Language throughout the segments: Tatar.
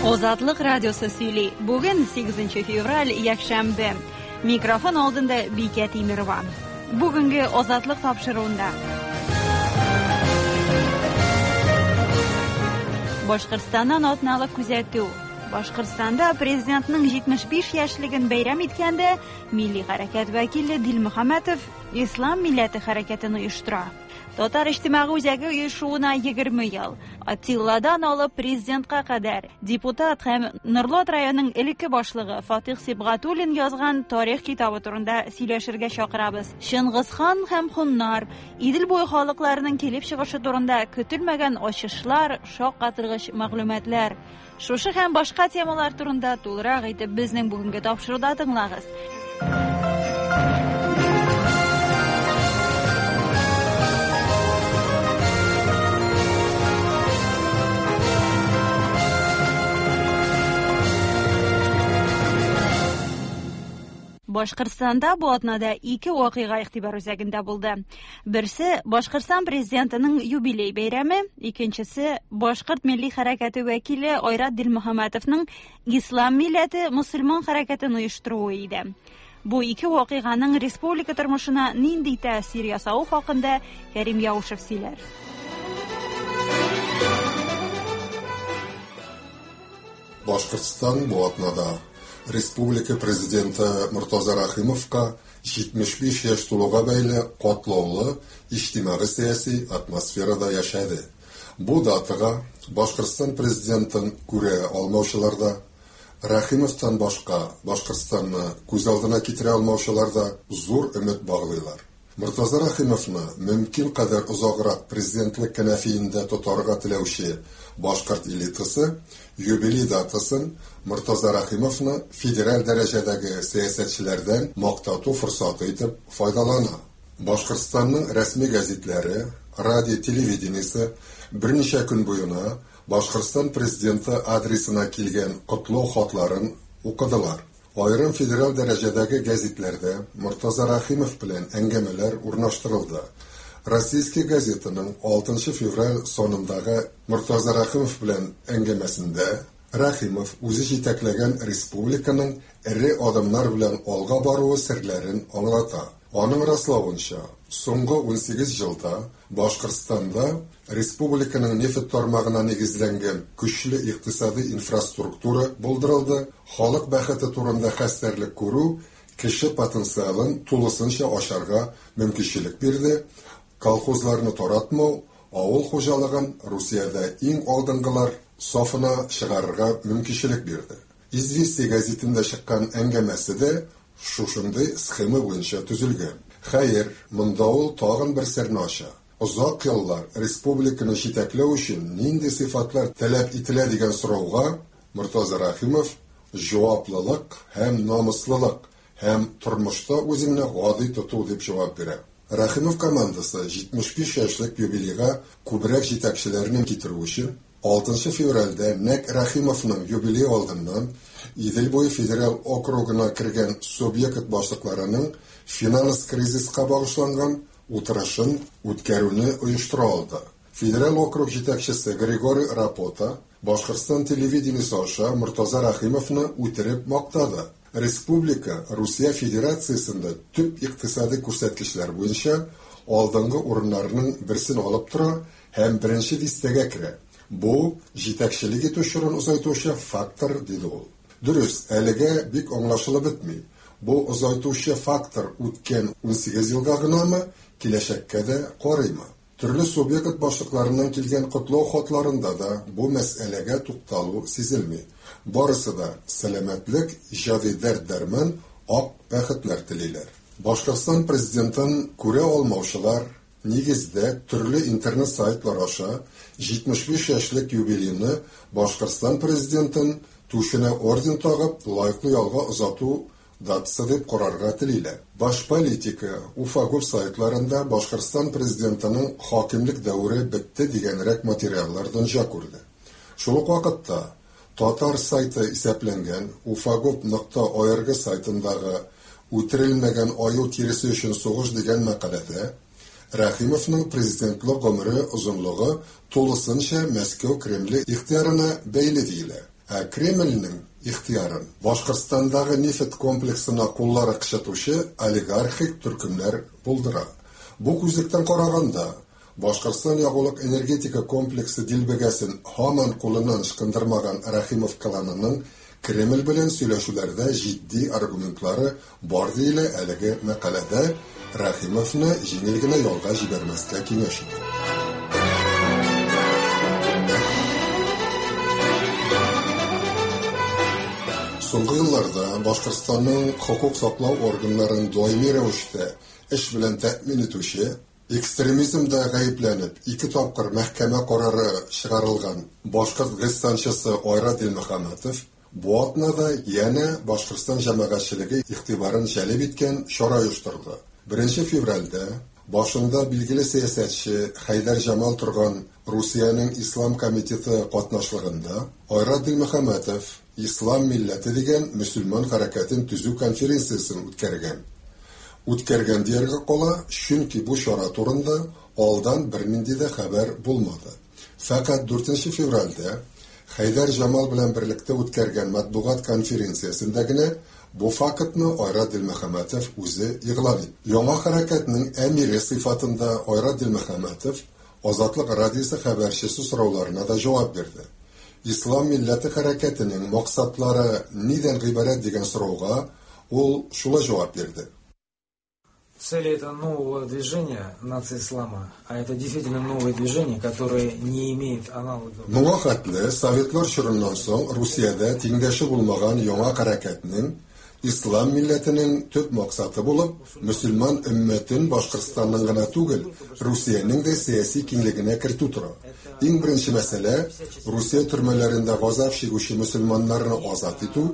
Азатлык радиосы сөйли. Бүген 8 февраль, якшәмбе. Микрофон алдында Бикә Тимерова. Бүгенге Азатлык тапшыруында. Башкортстаннан атналык күзәтү. Башкортстанда президентның 75 яшьлеген бәйрәм иткәндә милли хәрәкәт вәкиле Дилмөхәммәтов Ислам милләте хәрәкәтен оештыра. Татар иҗтимагый үзәге оешуына 20 ел. Атилладан алып президентка кадәр депутат һәм Норлат районының элекке башлыгы Фатих Сибгатуллин язган тарих китабы турында сөйләшергә чакырабыз. Чыңгызхан һәм хуннар, Идел буе халыкларының килеп чыгышы турында көтелмәгән ачышлар, шаккатыргыч мәгълүматлар. Шушы һәм башка темалар турында тулырак итеп безнең бүгенге тапшыруда тыңлагыз. Башкортстанда бу атнада ике вакыйга игътибар үзәгендә булды. Берсе Башкортстан президентының юбилей бәйрәме, икенчесе Башкорт милли хәрәкәте вәкиле Айрат Дилмөхәммәтовның Ислам милләте мусульман хәрәкәтен оештыруы иде. Бу ике вакыйганың республика тормышына нинди тәэсир ясавы хакында Кәрим Яушев сөйләр. Башкортстан бу атнада республика президенты Мортаза Рәхимовка 75 яшь тулуга бәйле катлаулы иҗтимагый-сәяси атмосферада яшәде. Бу датага Башкортстан президентын күрә алмаучылар да, Рәхимовтан башка Башкортстанны күз алдына китерә алмаучылар да зур өмет баглыйлар. Мортаза Рәхимовны мөмкин кадәр озаграк президентлык кәнәфиендә тотарга теләүче башкорт элитасы юбилей датасын Мортаза Рәхимовны федераль дәрәҗәдәге сәясәтчеләрдән мактату форсаты итеп файдалана. Башкортстанның рәсми гәзитләре, радио, телевидениесе берничә көн буена Башкортстан президенты адресына килгән котлау хатларын укыдылар. Аерым федераль дәрәҗәдәге гәзитләрдә Мортаза Рәхимов белән әңгәмәләр урнаштырылды. Российская газетаның 6 февраль санындагы Мортаза Рәхимов белән әңгәмәсендә Рәхимов үзе җитәкләгән республиканың эре адымнар белән алга баруы серләрен аңлата. Аның раславынча, соңгы 18 елда Башкортстанда республиканың нефть тармагына нигезләнгән көчле икътисади инфраструктура булдырылды, халык бәхете турында хәстәрлек күрү кеше потенциалын тулысынча ачарга мөмкинчелек бирде, колхозларны таратмау, авыл хуҗалыгын Русиядә иң алдынгылар сафына чыгарырга мөмкинчелек бирде. Известия гәзитендә чыккан әңгәмәсе дә шушындый схема буенча төзелгән. Хәер, монда ул тагын бер серне ача. Озак еллар республиканы җитәкләү өчен нинди сыйфатлар таләп ителә дигән сорауга Мортаза Рәхимов җаваплылык һәм намуслылык һәм тормышта үзеңне гади тоту дип җавап бирә. Рәхимов командасы 75 яшьлек юбилейга күбрәк җитәкчеләрне китерү өчен 6 февральдә нәкъ Рәхимовның юбилей алдыннан Идел буе федераль округына кергән субъект башлыкларының финанс кризиска багышланган утырышын үткәрүне оештыра алды. Федераль округ җитәкчесе Григорий Рапота Башкортстан телевидениесе аша Мортаза Рәхимовны үтереп мактады. Республика Русия Федерациясендә төп икътисади күрсәткечләр буенча алдынгы урыннарның берсен алып тора һәм беренче дистәгә керә. Бу җитәкчелек итү чорын озайтучы фактор, диде ул. Дөрес, әлегә бик аңлашылып бетми. Бу озайтучы фактор үткән 18 елга гынамы, киләчәккә дә карыймы? Төрле субъект башлыкларыннан килгән котлау хатларында да бу мәсьәләгә тукталу сизелми. Барысы да сәламәтлек, иҗади дәрт-дәрман, ак бәхетләр телиләр. Башкортстан президентын күрә алмаучылар, нигездә, төрле интернет сайтлар аша 75 яшьлек юбилейны Башкортстан президентын түшенә орден тагып, лаеклы ялга озату датасы дип карарга телиләр. Башполитика, Уфагов сайтларында Башкортстан президентының хакимлек дәвере бетте дигәнрәк материаллар дөнья күрде. Шул ук вакытта татар сайты исәпләнгән ufagov.org сайтындагы үтерелмәгән аю тиресе өчен сугыш дигән мәкаләдә Рәхимовның президентлык гомере озынлыгы тулысынча Мәскәү Кремле ихтыярына бәйле диелә. Ә Кремльнең ихтыярын Башкортстандагы нефть комплексына куллары кычытучы олигархик төркемнәр булдыра. Бу күзлектән караганда, Башкортстан ягулык-энергетика комплексы дилбегәсен һаман кулыннан ычкындырмаган Рәхимов кланының Кремль белән сөйләшүләрдә җитди аргументлары бар диелә әлеге мәкаләдә, Рәхимовны җиңел генә ялга җибәрмәскә киңәш итеп. Соңгы елларда Башкортстанның хокук саклау органнарын даими рәвештә эш белән тәэмин итүче, экстремизмда гаепләнеп, ике тапкыр мәхкәмә карары чыгарылган башкорт гыйссанчысы Айрат Дилмөхәммәтов бу атнада янә Башкортстан җәмәгатьчелеге игътибарын җәлеп иткән чара оештырды. 1 февральдә башында билгеле сәясәтче Хәйдәр Җамал торган Русиянең Ислам комитеты катнашлыгында Айрат Дилмөхәммәтов Ислам милләте дигән мөселман хәрәкәтен төзү конференциясен үткәргән. Үткәргән дияргә кала, чөнки бу чара турында алдан бернинди дә хәбәр булмады. Фәкать 4 февральдә Хәйдәр Җамал белән берлектә үткәргән матбугат конференциясендә генә бу фактны Айрат Дилмөхәммәтов үзе игълан итте. Яңа хәрәкәтнең әмире сыйфатында Айрат Дилмөхәммәтов Азатлык радиосы хәбәрчесе сорауларына да җавап бирде. Ислам милләте хәрәкәтенең максатлары нидән гыйбарәт дигән сорауга ул шулай җавап бирде. Цели этого нового движения нации ислама, а это действительно новое движение, которое не имеет аналогов. Моңа хәтле Советлар чорыннан соң Русиядә тиңдәше булмаган яңа хәрәкәтнең Ислам милләтенең төп максаты булып, мөселман өммәтен Башкортстанның гына түгел, Русиянең дә сәяси киңлегенә кертү тора. Иң беренче мәсьәлә Русия төрмәләрендә газап чигүче мөселманнарны азат итү,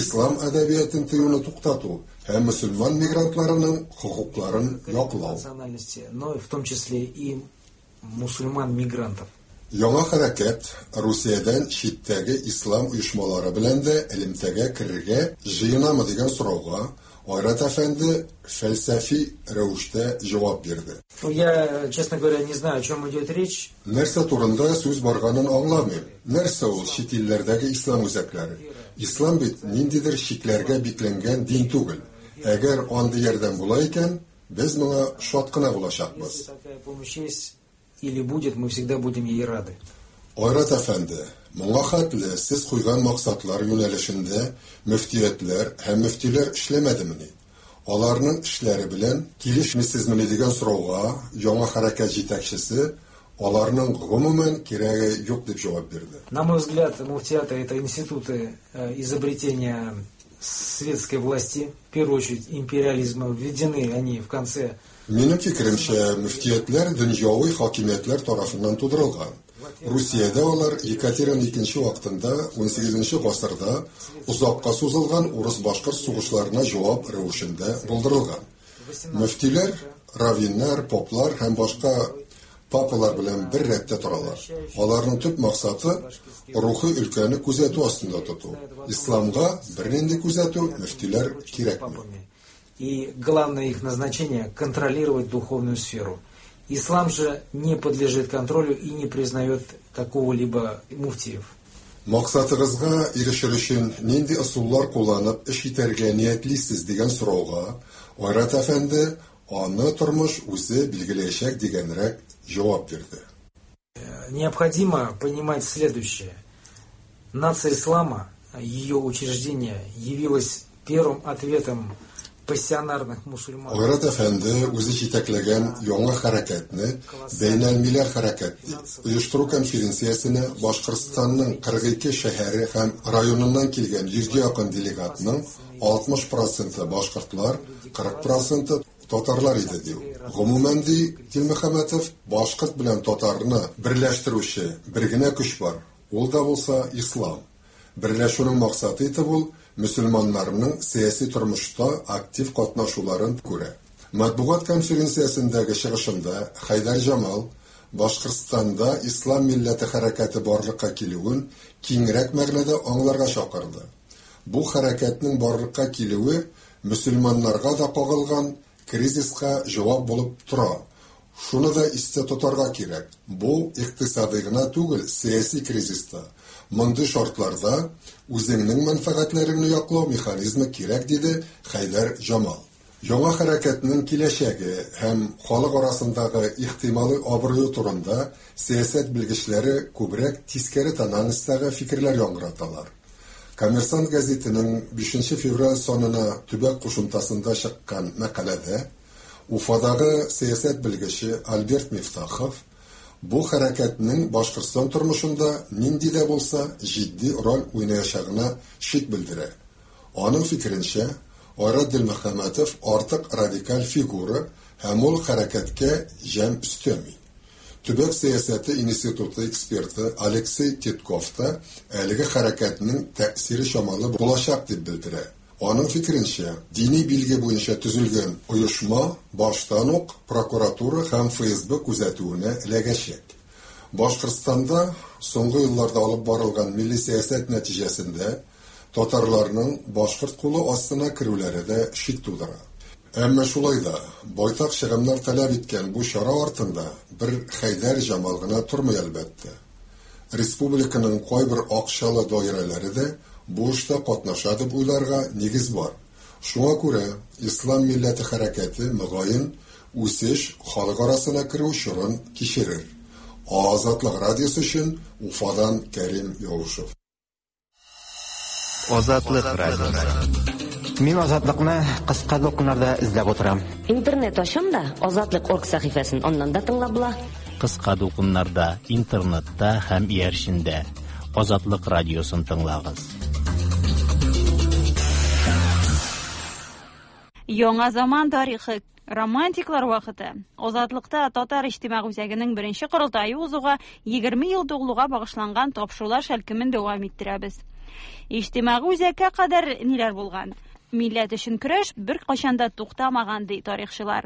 ислам әдәбиятын тыюны туктату һәм мөселман мигрантларының хокукларын яклау. Национальности, но в том числе и мусульман-мигрантов. Яңа хәрәкәт Русиядән читтәге ислам оешмалары белән дә элемтәгә керергә җыенамы дигән сорауга Айрат әфәнде фәлсәфи рәвештә җавап бирде. Ну, я, честно говоря, не знаю, о чем идет речь. Нәрсә турында сүз барганын аңламыйм. Нәрсә ул чит илләрдәге ислам үзәкләре? Ислам бит ниндидер чикләргә бикләнгән дин түгел. Әгәр андый ярдәм була икән, без моңа шат кына булачакбыз. Если такая помощь есть или будет, мы всегда будем ей рады. Айрат әфәнде, моңа хәтле сез куйган максатлар юнәлешендә мөфтиятләр һәм мөфтиләр эшләмәдемени? Аларның эшләре белән килешмисезмени дигән сорауга яңа хәрәкәт җитәкчесе аларның гомумән кирәге юк дип җавап бирде. На мой взгляд, муфтияты – это институты изобретения светской власти, в первую очередь империализма. Введены они в конце Минем фикеремчә, мөфтиятләр дөньяви хакимиятләр тарафыннан тудырылган. Русиядә алар Екатерина II вакытында 18 гасырда озакка сузылган урыс-башкорт сугышларына җавап рәвешендә булдырылган. Мөфтиләр, раввиннар, поплар һәм башка папалар белән бер рәттә торалар. Аларның төп максаты рухи өлкәне күзәтү астында тоту. Исламга бернинди күзәтү мөфтиләр кирәкми. И главное их назначение – контролировать духовную сферу. Ислам же не подлежит контролю и не признает какого-либо муфтиев. Максатыгызга ирешер өчен нинди ысуллар кулланып эш итәргә ниятлисез дигән сорауга Айрат әфәнде аны тормыш үзе билгеләячәк дигәнрәк җавап бирде. Необходимо понимать следующее. Нация ислама, ее учреждение, явилось первым ответом пассионарных мусульман. Айрат әфәнде үзе җитәкләгән яңа хәрәкәтне Бәйнәлмиләл хәрәкәт ди. Оештыру конференциясенә Башкортстанның 42 шәһәре һәм районыннан килгән 100 якын делегатның 60% башкортлар, 40% татарлар иде ди. Гомумән ди Дилмөхәммәтов, башкорт белән татарны берләштерүче бер генә көч бар. Ул да булса ислам. Берләшүнең максаты итеп ул мөселманнарның сәяси тормышта актив катнашуларын күрә. Матбугат конференциясендәге чыгышында Хәйдәр Җамал Башкортстанда ислам милләте хәрәкәте барлыкка килүен киңрәк мәгънәдә аңларга чакырды. Бу хәрәкәтнең барлыкка килүе мөселманнарга да кагылган кризиска җавап булып тора. Шуны да истә тотарга кирәк, бу икътисадый гына түгел, сәяси кризис та. Мондый шартларда үзеңнең мәнфәгатьләреңне яклау механизмы кирәк, диде Хәйдәр Җамал. Яңа хәрәкәтнең киләчәге һәм халык арасындагы ихтималый абруе турында сәясәт белгечләре күбрәк тискәре тональностьтагы фикерләр яңгыраталар. Коммерсант гәзитенең 5 февраль санына төбәк кушымтасында чыккан мәкаләдә Уфадагы сәясәт белгече Альберт Мифтахов бу хәрәкәтнең Башкортстан тормышында нинди дә булса җитди роль уйнаячагына шик белдерә. Аның фикеренчә, Айрат Дилмөхәммәтов артык радикаль фигура һәм ул хәрәкәткә җәм өстәми. Төбәк сәясәте институты эксперты Алексей Титков та әлеге хәрәкәтнең тәэсире чамалы булачак дип белдерә. Аның фикеренчә, дини билге буенча төзелгән оешма баштан ук прокуратура һәм ФСБ күзәтүенә эләгәчәк. Башкортстанда соңгы елларда алып барылган милли сәясәт нәтиҗәсендә татарларның башкорт кулы астына керүләре дә шик тудыра. Әмма шулай да байтак чыгымнар таләп иткән бу чара артында бер Хәйдәр Җамал гына тормый, әлбәттә. Республиканың кайбер акчалы даирәләре дә бу эштә катнаша дип уйларга нигез бар. Шуңа күрә Ислам милләте хәрәкәте, мөгаен, үсеш, халык арасына керү чорын кичерер. Азатлык радиосы өчен Уфадан Кәрим Яушев. Азатлык радиосы. Мин Азатлыкны кыска дулкыннарда эзләп утырам. Интернет ачам да, Азатлык орг сәхифәсен аннан да тыңлап була. Кыска дулкыннарда, интернетта һәм иярчендә. Азатлык радиосын тыңлагыз. Яңа заман тарихы, романтиклар вакыты. Азатлыкта Татар иҗтимагый үзәгенең беренче корылтае узуга 20 ел тулуга багышланган тапшырулар шәлкемен дәвам иттерәбез. Иҗтимагый үзәккә кадәр ниләр булган? Милләт өчен көрәш беркайчан да туктамаган, ди тарихчылар.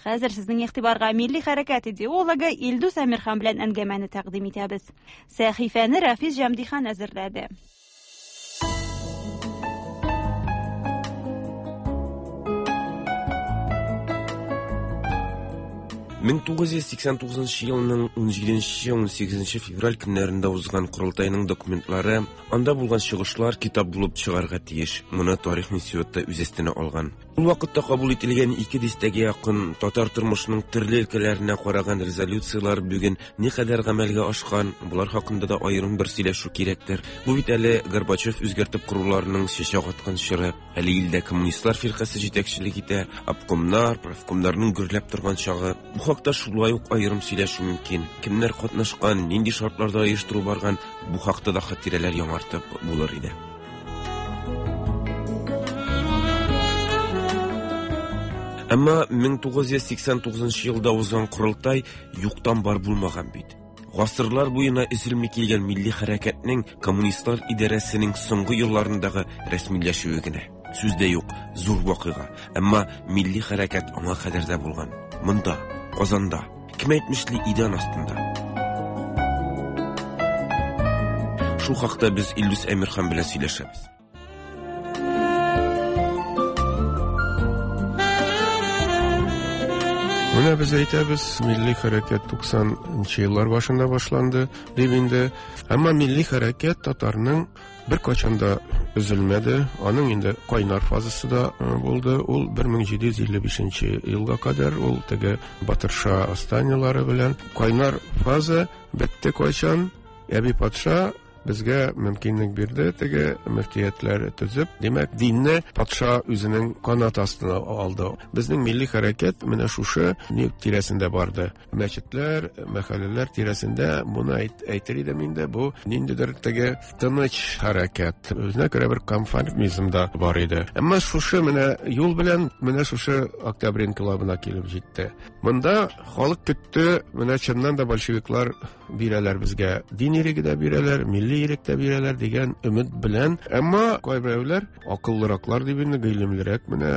Хәзер сезнең игътибарга милли хәрәкәт идеологы Илдус Әмирхан белән әңгәмәне тәкъдим итәбез. Сәхифәне Рафис Җәмдихан әзерләде. 1989 елның 17-18 февраль көннәрендә узган корылтайның документлары, анда булган чыгышлар китап булып чыгарга тиеш. Моны тарих институты үз өстенә алган. Ул вакытта кабул ителгән ике дистәгә якын татар тормышының төрле өлкәләренә караган резолюцияләр бүген никадәр гамәлгә ашкан, болар хакында да аерым бер сөйләшү кирәктер. Бу бит әле Горбачев үзгәртеп коруларының чәчәк аткан чоры. Әле илдә коммунистлар фиркасе җитәкчелек итә, обкомнар, профкомнарның гөрләп торган чагы. Бу хакта шулай ук аерым сөйләшү мөмкин. Кемнәр катнашкан, нинди шартларда оештыру барган, бу хакта да хатирәләр яңартып булыр иде. Әмма 1989 елда узган корылтай юктан бар булмаган бит. Гасырлар буена өзелми килгән милли хәрәкәтнең коммунистлар идарәсенең соңгы елларындагы рәсмиләшүе генә. Сүз дә юк, зур вакыйга. Әмма милли хәрәкәт аңа кадәр дә булган. Монда, Казанда, кем әйтмешли, идән астында. Шул хакта без Илдус Әмирхан белән сөйләшәбез. Менә без әйтәбез, милли хәрәкәт 90 еллар башында башланды дип инде. Әмма милли хәрәкәт татарның беркайчан да өзелмәде. Аның инде кайнар фазасы да булды. Ул 1755 елга кадәр ул теге Батырша восстаниелары белән кайнар фаза бетте кайчан? Әби патша безгә мөмкинлек бирде теге мөфтиятләр төзеп. Димәк, динне патша үзенең канат астына алды. Безнең милли хәрәкәт менә шушы ни тирәсендә барды. Мәчетләр, мәхәлләләр тирәсендә моны әйтер идем инде, бу ниндидер теге тыныч хәрәкәт. Үзенә күрә бер конформизм да бар иде. Әмма шушы менә юл белән менә шушы Октябрь инкыйлабына килеп җитте. Монда халык көтте, менә чыннан да большевиклар бирәләр безгә, дин иреге дә бирәләр, милли ирек тә бирәләр дигән өмет белән. Әмма кайберәүләр акыллыраклар дип инде, гыйлемлерәк менә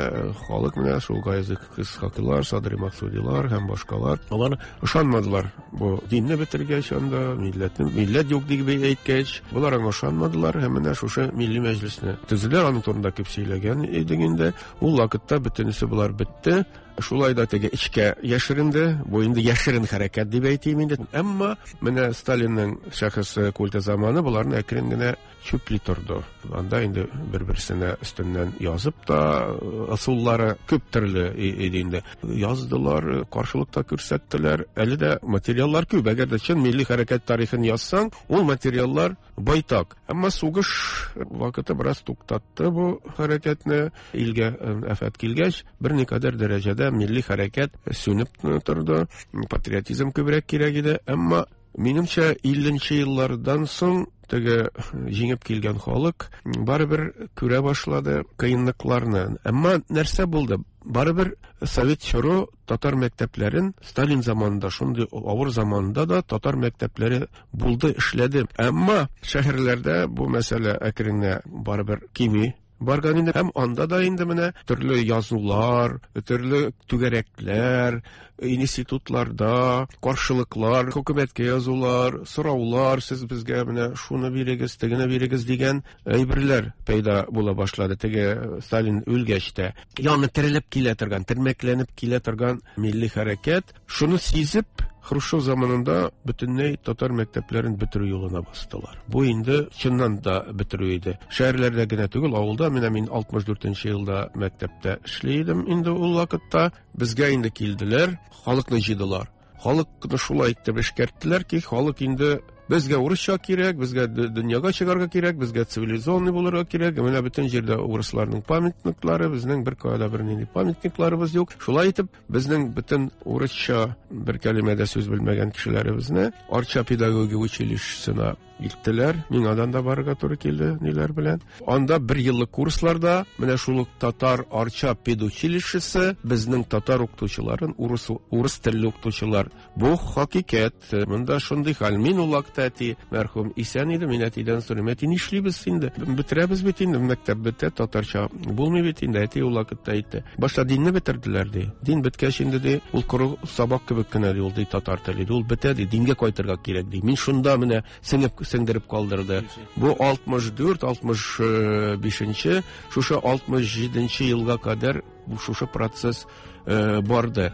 халык менә шул Гаяз Исхакыйлар, Садри Максудилар һәм башкалар, алар ышанмадылар. Бу динне бетергәч анда, милләтне, милләт юк дип әйткәч, болар аңа ышанмадылар һәм менә шушы милли мәҗлесне төзеделәр. Аның турында күп сөйләгән идек инде. Ул вакытта бөтенесе болар бетте. Шулай да теге эчкә яшеренде. Бу инде яшерен хәрәкәт дип әйтим инде. Әмма менә Сталинның шәхес культы заманы боларны әкрен генә чүпли торды. Анда инде бер-берсенә өстеннән язып та ысуллары күп төрле иде инде. Яздылар, каршылык та күрсәттеләр. Әле дә материаллар күп. Әгәр дә чын милли хәрәкәт тарихын язсаң, ул материаллар байтак. Әмма сугыш вакыты бераз туктатты бу хәрәкәтне. Илгә афәт килгәч, берникадәр дәрәҗәдә милли хәрәкәт сүнеп торды. Патриотизм күбрәк кирәк иде. Әмма минемчә, 50 еллардан соң теге җиңеп килгән халык барыбер күрә башлады кыенлыкларны. Әмма нәрсә булды? Барыбер совет чоры татар мәктәпләрен Сталин заманында, шундый авыр заманда да татар мәктәпләре булды, эшләде. Әмма шәһәрләрдә бу мәсьәлә әкрен генә барыбер кими барган инде. Һәм анда да инде менә төрле язулар, төрле түгәрәкләр, институтларда каршылыклар, хөкүмәткә язулар, сораулар, сез безгә менә шуны бирегез, тегене бирегез дигән әйберләр пәйда була башлады. Теге Сталин үлгәч тә. Яңа терелеп килә торган, термәкләнеп килә торган милли хәрәкәт. Шуны сизеп, Хрущев заманында бөтенләй татар мәктәпләрен бетерү юлына бастылар. Бу инде чыннан да бетерү иде. Шәһәрләрдә генә түгел, авылда менә мин 64 елда мәктәптә эшли идем инде ул вакытта. Безгә инде килделәр, халыкны җыйдылар. Халыкны шулай итеп эшкәрттеләр ки, халык инде безгә урысча кирәк, безгә дөньяга чыгарга кирәк, безгә цивилизованный булырга кирәк. Менә бөтен җирдә урысларның памятниклары, безнең бер кая да бернинди памятникларыбыз юк. Шулай итеп, безнең бөтен урысча бер кәлимә дә сүз белмәгән кешеләребезне Арча педагогия училищесына илттеләр. Миңа да барырга туры килде ниләр белән. Анда бер еллык курсларда менә шул ук татар Арча педучилищесы безнең татар укытучыларын урыс телле укытучылар. Бу хакыйкать. Монда шундый хәл. Мин ул вакытта әти мәрхүм исән иде. Мин әтидән сорыйм: әти, нишлибез инде? Бетерәбез бит инде, мәктәп бетә, татарча булмый бит инде. Әти ул вакытта әйтте: башта динне бетерделәр, ди. Дин беткәч инде, ди, ул коры сабак кебек кенә, ди, ул, ди, татар теле, ди, ул бетә, ди, дингә кайтырга кирәк, ди. Мин шунда менә сеңеп сеңдереп калдырды. Бу 64, 65-нче, шушы 67-нче елга кадәр бу шушы процесс барды.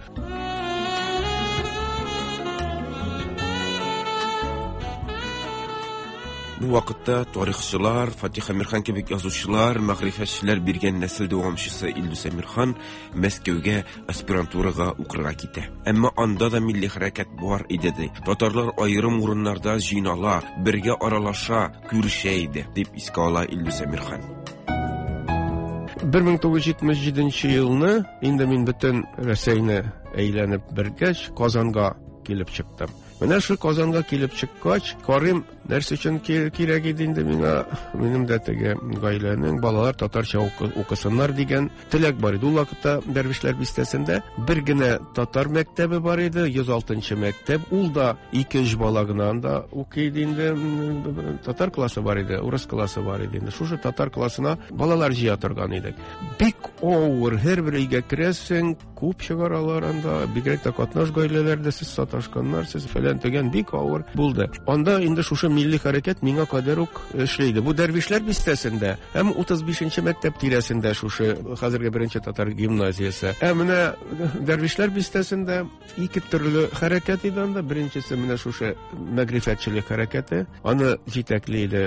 Бу вакытта тарихчылар, Фатих Әмирхан кебек язучылар, мәгърифәтчеләр биргән нәсел дәвамчысы Илдус Әмирхан Мәскәүгә аспирантурага укырга китә. Әмма анда да милли хәрәкәт бар иде, ди. Татарлар аерым урыннарда җыйнала, бергә аралаша, күрешә иде, дип искә ала Илдус Әмирхан. 1977 елны инде мин бөтен Рәсәйне әйләнеп бергәч, Казанга килеп чыктым. Менә шул Казанга килеп чыккач, карыйм, нәрсә өчен кирәк иде инде миңа, минем дә теге гаиләнең балалар татарча укысыннар дигән теләк бар иде. Ул вакытта Дәрвишләр бистәсендә бер генә татар мәктәбе бар иде, 106 мәктәп. Ул да 2-3 бала гына анда укый иде инде. Татар классы бар иде, урыс классы бар иде инде. Шушы татар классына балалар җыя торган идек. Бик авыр, һәрбер өйгә керәсең, күп чыгаралар анда, бигрәк тә катнаш гаиләләрдә сез саташканнар, сез фәлән төгән, бик авыр булды. Анда инде шушы милли хәрәкәт миңа кадәр үк эшли иде. Бу Дәрвишләр бистәсендә һәм 35-нче мәктәп тирәсендә шушы хәзерге беренче татар гимназиясе. Ә менә Дәрвишләр бистәсендә ике төрле хәрәкәт иде анда. Беренчесе менә шушы мәгърифәтчелек хәрәкәте. Аны җитәкли иде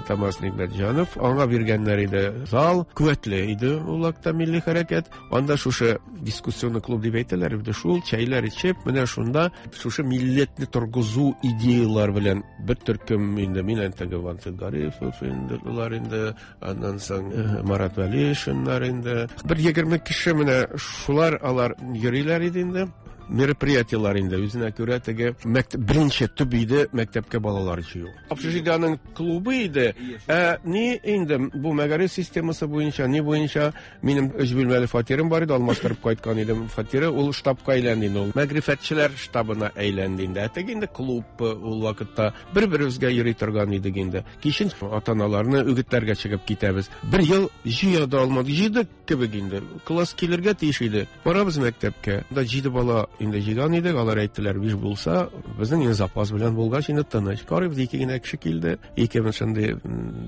Тамаз Нигъмәтҗанов. Аңа биргәннәр иде зал, куәтле иде ул вакытта милли хәрәкәт. Анда шушы дискуссионный клуб дип әйтәләр иде, шул чәйләр эчеп, менә шунда шушы милләтне торгызу идеялар белән бер төркем инде мин теге Вансит Гарифов инде, улар инде, аннан соң Марат Вәлишиннар инде. Бер 20 кеше менә шулар алар йөриләр иде инде. Мероприятиелар инде үзенә күрә теге беренче төп иде мәктәпкә балалар җыю. Общежитиеның клубы иде. Ә ни инде бу мәгариф системасы буенча, ни буенча минем өч бүлмәле фатирым бар иде, алмаштырып кайткан идем фатиры, ул штабка әйләнде инде, ул мәгърифәтчеләр штабына әйләнде инде. Ә теге инде клуб ул вакытта бер-беребезгә йөри торган идек инде. Кичен ата-аналарны үгетләргә чыгып китәбез. Бер ел җыя да алмадык, җыйдык кебек инде. Класс килергә тиеш иде. Барабыз мәктәпкә. Анда 7 бала инде җыйган идек, алар әйттеләр, 5 булса, безнең инде запас белән булгач, инде тыныч. Карыйбыз, ике генә кеше килде, ике шундый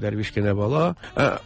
дәрвиш кенә бала.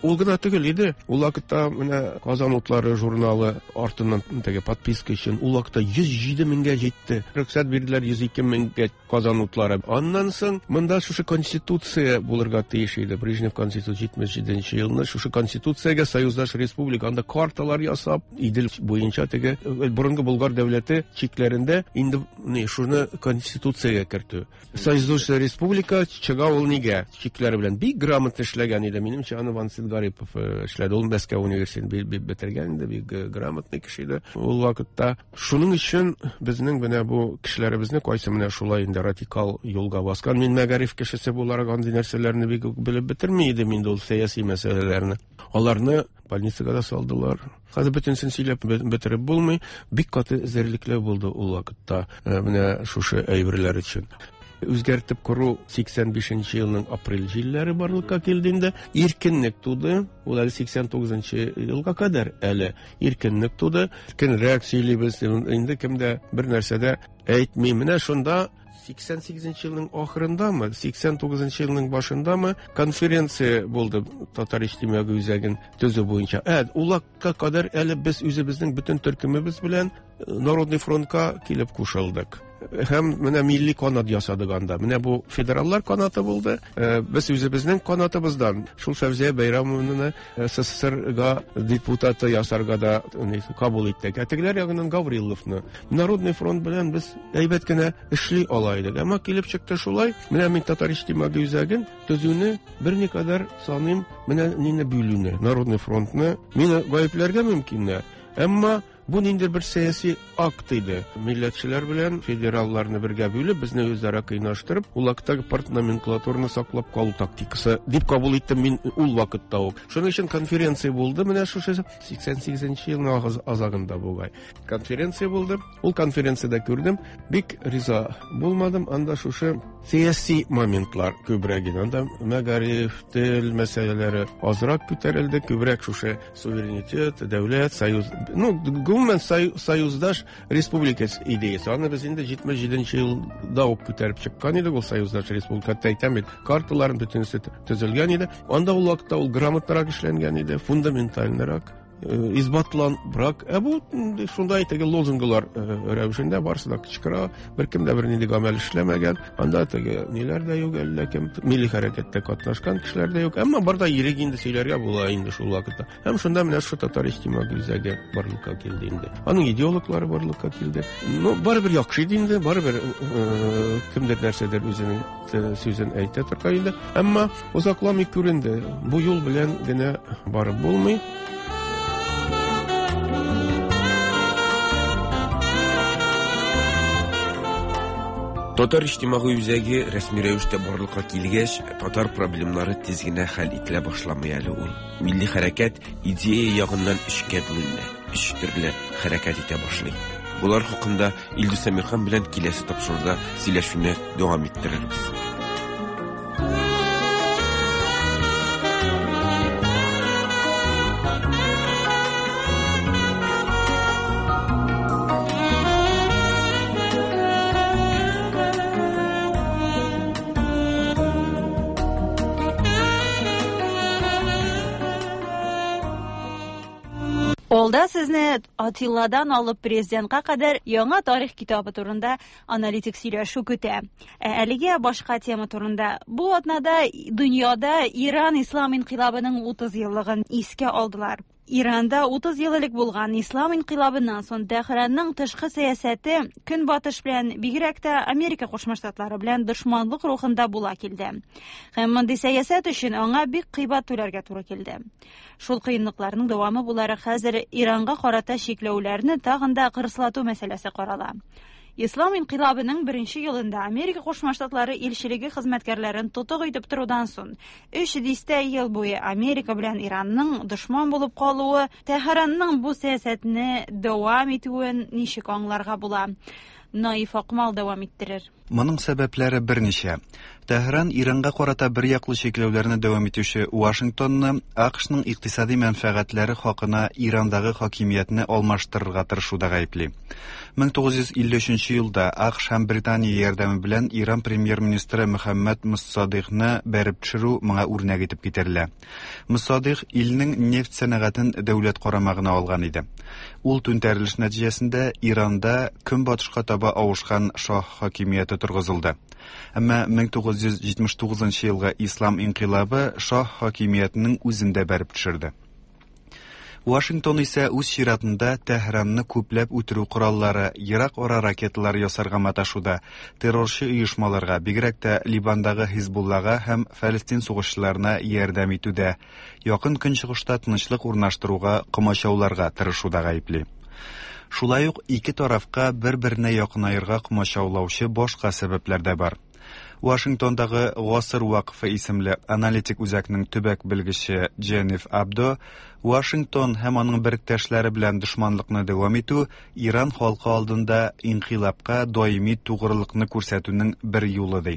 Ул гына түгел иде. Ул вакытта менә Казан утлары журналы артыннан теге подписка өчен ул вакытта 107 меңгә җитте. Рөхсәт бирделәр 102 меңгә Казан утлары. Аннан соң монда шушы конституция булырга тиеш иде. Брежнев конституция 77 елны шушы конституциягә союздаш республика анда карталар ясап, Идел буенча теге борынгы Болгар дәүләте чикләрендә инде не шуны конституциягә кертү. Союздаш республика чыга ул нигә? Чикләре белән бик грамотно эшләгән иде. Минемчә, аны Вансит Гарипов эшләде. Ул Мәскәү университетын бетергән инде, бик грамотный кеше иде ул вакытта. Шуның өчен безнең менә бу кешеләребезне кайсы менә шулай инде радикал юлга баскан. Мин мәгариф кешесе буларак андый нәрсәләрне бик үк белеп бетерми идем инде ул сәяси мәсьәләләрне. Аларны больницага да салдылар. Хәзер бөтенесен сөйләп бетереп булмый. Бик каты эзәрлекләү булды ул вакытта менә шушы әйберләр өчен. Үзгәртеп кору 85 елның апрель җилләре барлыкка килде инде. Иркенлек туды. Ул әле 89 елга кадәр әле иркенлек туды. Иркенрәк сөйлибез. Инде кем дә бер нәрсә дә әйтми. Менә шунда 88 елның ахырындамы, 89 елның башындамы конференция булды Татар иҗтимагый үзәген төзү буенча. Ул вакытка кадәр әле без үзебезнең бөтен төркемебез белән Народный фронтка килеп кушылдык. Һәм менә милли канат ясадык анда. Менә бу федераллар канаты булды. Без үзебезнең канатыбыздан шул Фәүзия Бәйрәмовнаны СССРга депутаты ясарга да кабул иттек. Ә тегеләр ягыннан Гавриловны. Народный фронт белән без әйбәт кенә эшли ала идек. Әмма килеп чыкты шулай. Менә мин Татар иҗтимагый үзәген төзүне берникадәр саныйм, менә нине бүлүне, Народный фронтны. Мине гаепләргә мөмкиннәр. Әмма бу ниндидер бер сәяси акт иде. Милләтчеләр белән федералларны бергә бүлеп, безне үзара кыйнаштырып, ул вакыттагы партноменклатураны саклап калу тактикасы дип кабул иттем мин ул вакытта ук. Шуның өчен конференция булды, менә шушы 88 елның азагында бугай. Конференция булды. Ул конференциядә күрдем, бик риза булмадым. Анда шушы сәяси моментлар күбрәк иде. Анда мәгариф, тел мәсьәләләре азрак күтәрелде, күбрәк шушы суверенитет, дәүләт, союз, ну, гомумән союздаш республика идеясы. Аны без инде 77 елда ук күтәреп чыккан идек, ул союздаш республика. Хәтта әйтәм бит, карталарын бөтенесе төзелгән иде. Анда ул вакытта ул грамотнырак эшләнгән иде, фундаментальнырак, исбатланбрак. Ә бу шундай теге лозунглар рәвешендә барысы да кычкыра, беркем дә бернинди гамәл эшләмәгән. Анда теге ниләр дә юк, әллә кем милли хәрәкәттә катнашкан кешеләр дә юк. Әмма бар да ирек инде сөйләргә була инде шул вакытта. Һәм шунда менә шул Татар иҗтимагый үзәге барлыкка килде инде. Аның идеологлары барлыкка килде. Ну, барыбер яхшы иде инде, барыбер кемдер нәрсәдер үзенең сүзен әйтә торган иде. Әмма озакламый күренде, бу юл белән генә барып булмый. Татар иҗтимагый үзәге рәсми рәвештә барлыкка килгәч, татар проблемнары тиз генә хәл ителә башламый әле ул. Милли хәрәкәт идея ягыннан өчкә бүленә, өч төрле хәрәкәт итә башлый. Болар хакында Илдус Әмирхан белән киләсе тапшыруда сөйләшүне дәвам иттерербез. Алда сезне Атилладан алып президентка кадәр яңа тарих китабы турында аналитик сөйләшү көтә. Ә әлегә башка тема турында. Бу атнада дөньяда Иран ислам инкыйлабының 30 еллыгын искә алдылар. Иранда 30 ел элек булган ислам инкыйлабыннан соң Тәһранның тышкы сәясәте Көнбатыш белән, бигрәк тә Америка Кушма Штатлары белән дошманлык рухында була килде. Һәм мондый сәясәт өчен аңа бик кыйбат түләргә туры килде. Шул кыенлыкларның дәвамы буларак хәзер Иранга карата чикләүләрне тагын да кырыслату мәсьәләсе карала. Ислам инкыйлабының беренче елында Америка Кушма Штатлары илчелеге хезмәткәрләрен тотык итеп торудан соң, өч дистә ел буе Америка белән Иранның дошман булып калуы, Тәһранның бу сәясәтне дәвам итүен ничек аңларга була? Наиф Акмал дәвам иттерер. Моның сәбәпләре берничә. Тәһран Иранга карата бер яклы чикләүләрне дәвам итүче Вашингтонны АКШның икътисади мәнфәгатьләре хакына Ирандагы хакимиятне алмаштырырга тырышуда гаепли. 1953 елда АКШ һәм Британия ярдәме белән Иран премьер-министры Мөхәммәд Муссадыйкны бәреп төшерү моңа үрнәк итеп китерелә. Муссадыйк илнең нефть сәнәгатен дәүләт карамагына алган иде. Ул түнтәрелеш нәтиҗәсендә Иранда көнбатышка таба авышкан шаһ хакимияте торгызылды. Әмма 1979 елгы Ислам инкыйлабы шаһ хакимиятенең үзен дә бәреп төшерде. Вашингтон исә үз чиратында Тәһранны күпләп үтерү кораллары, ерак ара ракеталары ясарга маташуда, террорчы оешмаларга, бигрәк тә Ливандагы Хизбуллага һәм Фәлестин сугышчыларына ярдәм итүдә, Якын Көнчыгышта тынычлык урнаштыруга комачауларга тырышуда гаепли. Шулай ук ике тарафка бер-беренә якынаерга комачаулаучы башка сәбәпләр дә бар. Вашингтондагы Гасыр вакыфы исемле аналитик үзәкнең төбәк белгече Дженниф Абдо Вашингтон һәм аның беректәшләре белән дошманлыкны дәвам итү Иран халкы алдында инкыйлабка даими тугрылыкны күрсәтүнең бер юлы ди.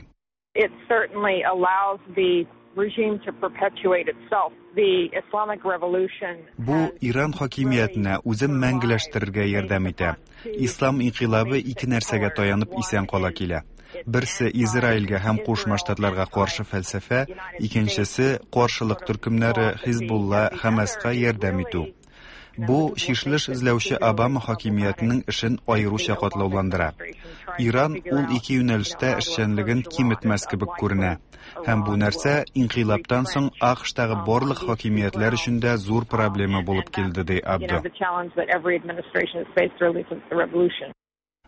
It certainly allows the regime to perpetuate itself. The Islamic Revolution Бу Иран хакимиятенә үзен мәңгеләштерергә ярдәм итә. Ислам инкыйлабы ике нәрсәгә таянып исән кала килә. Берсе Израильгә һәм Кушма Штатларга каршы фәлсәфә, икенчесе каршылык төркемнәре Хизбулла, Хәмаска ярдәм итү. Бу чишелеш эзләүче Обама хакимиятенең эшен аеруча катлауландыра. Иран ул ике юнәлештә эшчәнлеген киметмәс кебек күренә. Һәм бу нәрсә инкыйлабтан соң АКШтагы барлык хакимиятләр өчен дә зур проблема булып килде, ди Абдо.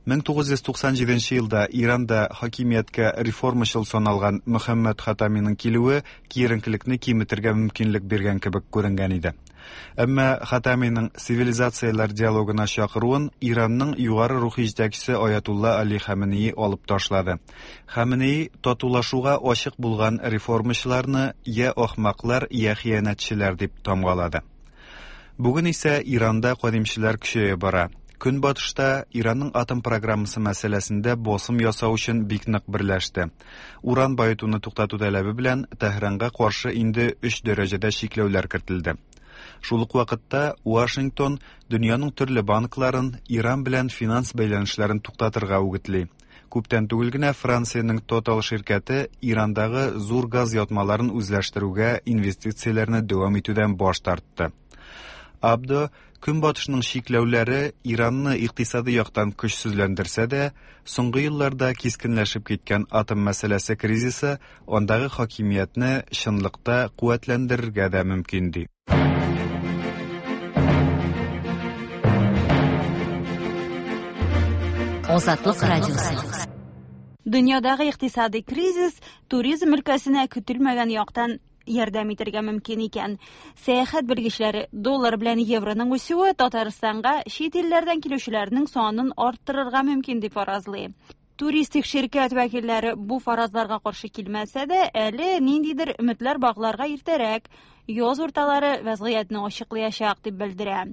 1997 елда Иранда хакимияткә реформачыл саналган Мөхәммәд Хатаминың килүе киеренкелекне киметергә мөмкинлек биргән кебек күренгән иде. Әмма Хатаминың цивилизацияләр диалогына чакыруын Иранның югары рухи җитәкчесе Аятулла Али Хаменеи алып ташлады. Хаменеи татулашуга ачык булган реформачыларны я ахмаклар, я хыянәтчеләр дип тамгалады. Бүген исә Иранда кадимчеләр көчәя бара. Көнбатышта Иранның атом программасы мәсьәләсендә басым ясау өчен бик нык берләште. Уран баетуны туктату таләбе белән Тәһранга каршы инде өч дәрәҗәдә чикләүләр кертелде. Шул ук вакытта Вашингтон дөньяның төрле банкларын Иран белән финанс бәйләнешләрен туктатырга үгетли. Күптән түгел генә Франциянең Total ширкәте Ирандагы зур газ ятмаларын үзләштерүгә инвестицияләрне дәвам итүдән баш тартты. Абдо Көнбатышның чикләүләре Иранны икътисади яктан көчсезләндерсә дә, соңгы елларда кискенләшеп киткән атом мәсьәләсе кризисы андагы хакимиятне чынлыкта куәтләндерергә дә мөмкин ди. Азатлык радиосы. Дөньядагы икътисади кризис туризм өлкәсенә көтелмәгән яктан ярдәм итәргә мөмкин икән. Сәяхәт белгечләре доллар белән евроның үсүе Татарстанга чит илләрдән килүчеләрнең санын арттырырга мөмкин дип фаразлый. Туристик ширкәт вәкилләре бу фаразларга каршы килмәсә дә, әле ниндидер өметләр багларга иртәрәк, яз урталары вәзгыятьне ачыклаячак дип белдерә.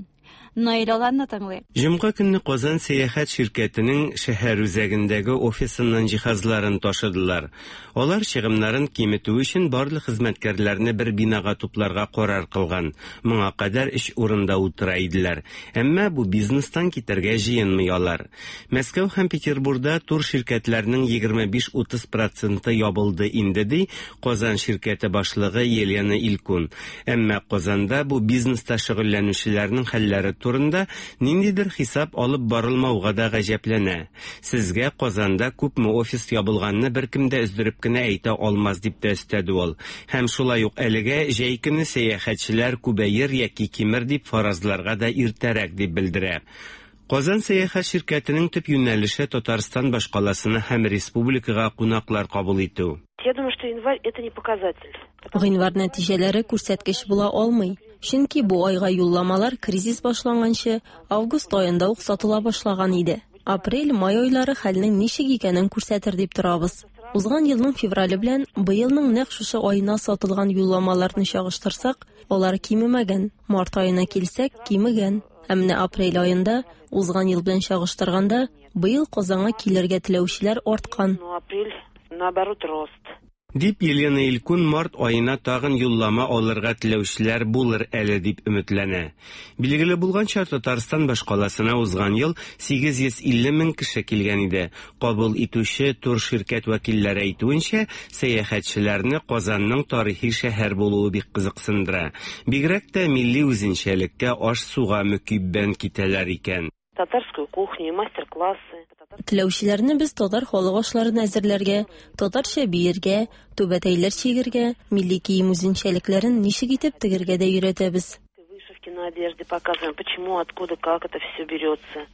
Наил Аланны тыңлыйк. Җомга көнне Казан сәяхәт ширкәтенең шәһәр үзәгендәге офисыннан җиһазларын ташыдылар. Алар чыгымнарын киметү өчен барлык хезмәткәрләрне бер бинага тупларга карар кылган. Моңа кадәр өч урында утыра иделәр. Әмма бу бизнестан китәргә җыенмый алар. Мәскәү һәм Петербурда тур ширкәтләренең 25-30 проценты ябылды инде, ди Казан ширкәте башлыгы Елена Илкун. Әмма Казанда бу бизнеста шөгыльләнүчеләрнең хәлләре турында ниндидер хисап алып барылмауга да гаҗәпләнә. Сезгә Казанда күпме офис ябылганны беркем дә өздереп кенә әйтә алмас дип тә өстәде ул. Һәм шулай ук әлегә җәй көне сәяхәтчеләр күбәер яки кимер дип фаразларга да иртәрәк дип белдерә. Казан сәяхәт ширкәтенең төп юнәлеше Татарстан башкаласына һәм республикага кунаклар кабул итү. Я думаю, что январь это не показатель. Гыйнвар нәтиҗәләре күрсәткеч була алмый. Чөнки бу айга юлламалар кризис башланганчы август аенда ук сатыла башлаган иде. Апрель, май айлары хәлнең ничек икәнен күрсәтер дип торабыз. Узган елның феврале белән быелның нәкъ шушы аена сатылган юлламаларны чагыштырсак, алар кимемәгән. Март аена килсәк, кимегән. Ә менә апрель аенда узган ел белән чагыштырганда, быел Казанга килергә теләүчеләр арткан. Ну, апрель, наоборот, рост. Дип Елена Илькун март аена тагын юллама алырга теләүчеләр булыр әле дип өметләнә. Билгеле булганча, Татарстан башкаласына узган ел 850 мең кеше килгән иде. Кабул итүче турширкәт вәкилләре әйтүенчә, сәяхәтчеләрне Казанның тарихи шәһәр булуы бик кызыксындыра. Бигрәк тә милли үзенчәлеккә, аш-суга мөкиббән китәләр икән. Татарскую кухню и мастер-классы. Теләүчеләрне без татар халык ашларын әзерләргә, татарча биергә, түбәтәйләр чигергә, милли кием үзенчәлекләрен ничек итеп тегергә дә өйрәтәбез. Вышивки на одежде показываем, почему, откуда, как это все берется.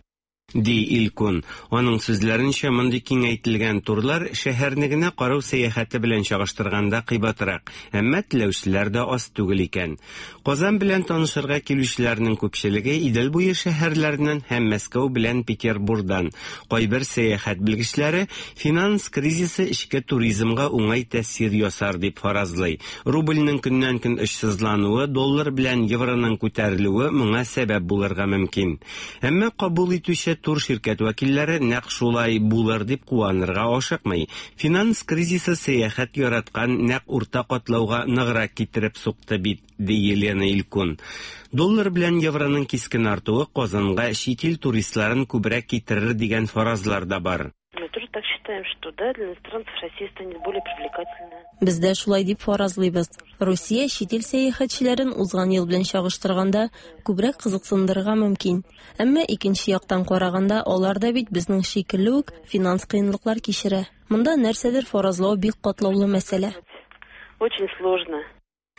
Ди Илкун. Аның сүзләренчә, мондый киңәйтелгән турлар шәһәрне генә карау сәяхәте белән чагыштырганда кыйбатрак, әмма теләүчеләр дә аз түгел икән. Казан белән танышырга килүчеләрнең күпчелеге Идел буе шәһәрләреннән һәм Мәскәү белән Петербурдан. Кайбер сәяхәт белгечләре финанс кризисы эчке туризмга уңай тәэсир ясар дип фаразлый. Рубльнең көннән-көн очсызлануы, доллар белән евроның күтәрелүе моңа сәбәп булырга мөмкин. Әмма кабул итүче турширкәт вәкилләре нәкъ шулай булыр дип куанырга ашыкмый. Финанс кризисы сәяхәт яраткан нәкъ урта катлауга ныграк китереп сукты бит, ди Елена Илькун. Доллар белән евроның кискен артуы Казанга чит ил туристларын күбрәк китерер дигән фаразлар да бар. Мы тоже так считаем, что да, для иностранцев Россия станет более привлекательная. Без дә шулай дип фаразлыйбыз. Русия чит ил сәяхәтчеләрен узган ел белән чагыштырганда күбрәк кызыксындырырга мөмкин. Әмма икенче яктан караганда, алар да бит безнең шикелле үк финанс кыенлыклар кичерә. Монда нәрсәдер фаразлау бик катлаулы мәсьәлә. Очень сложно.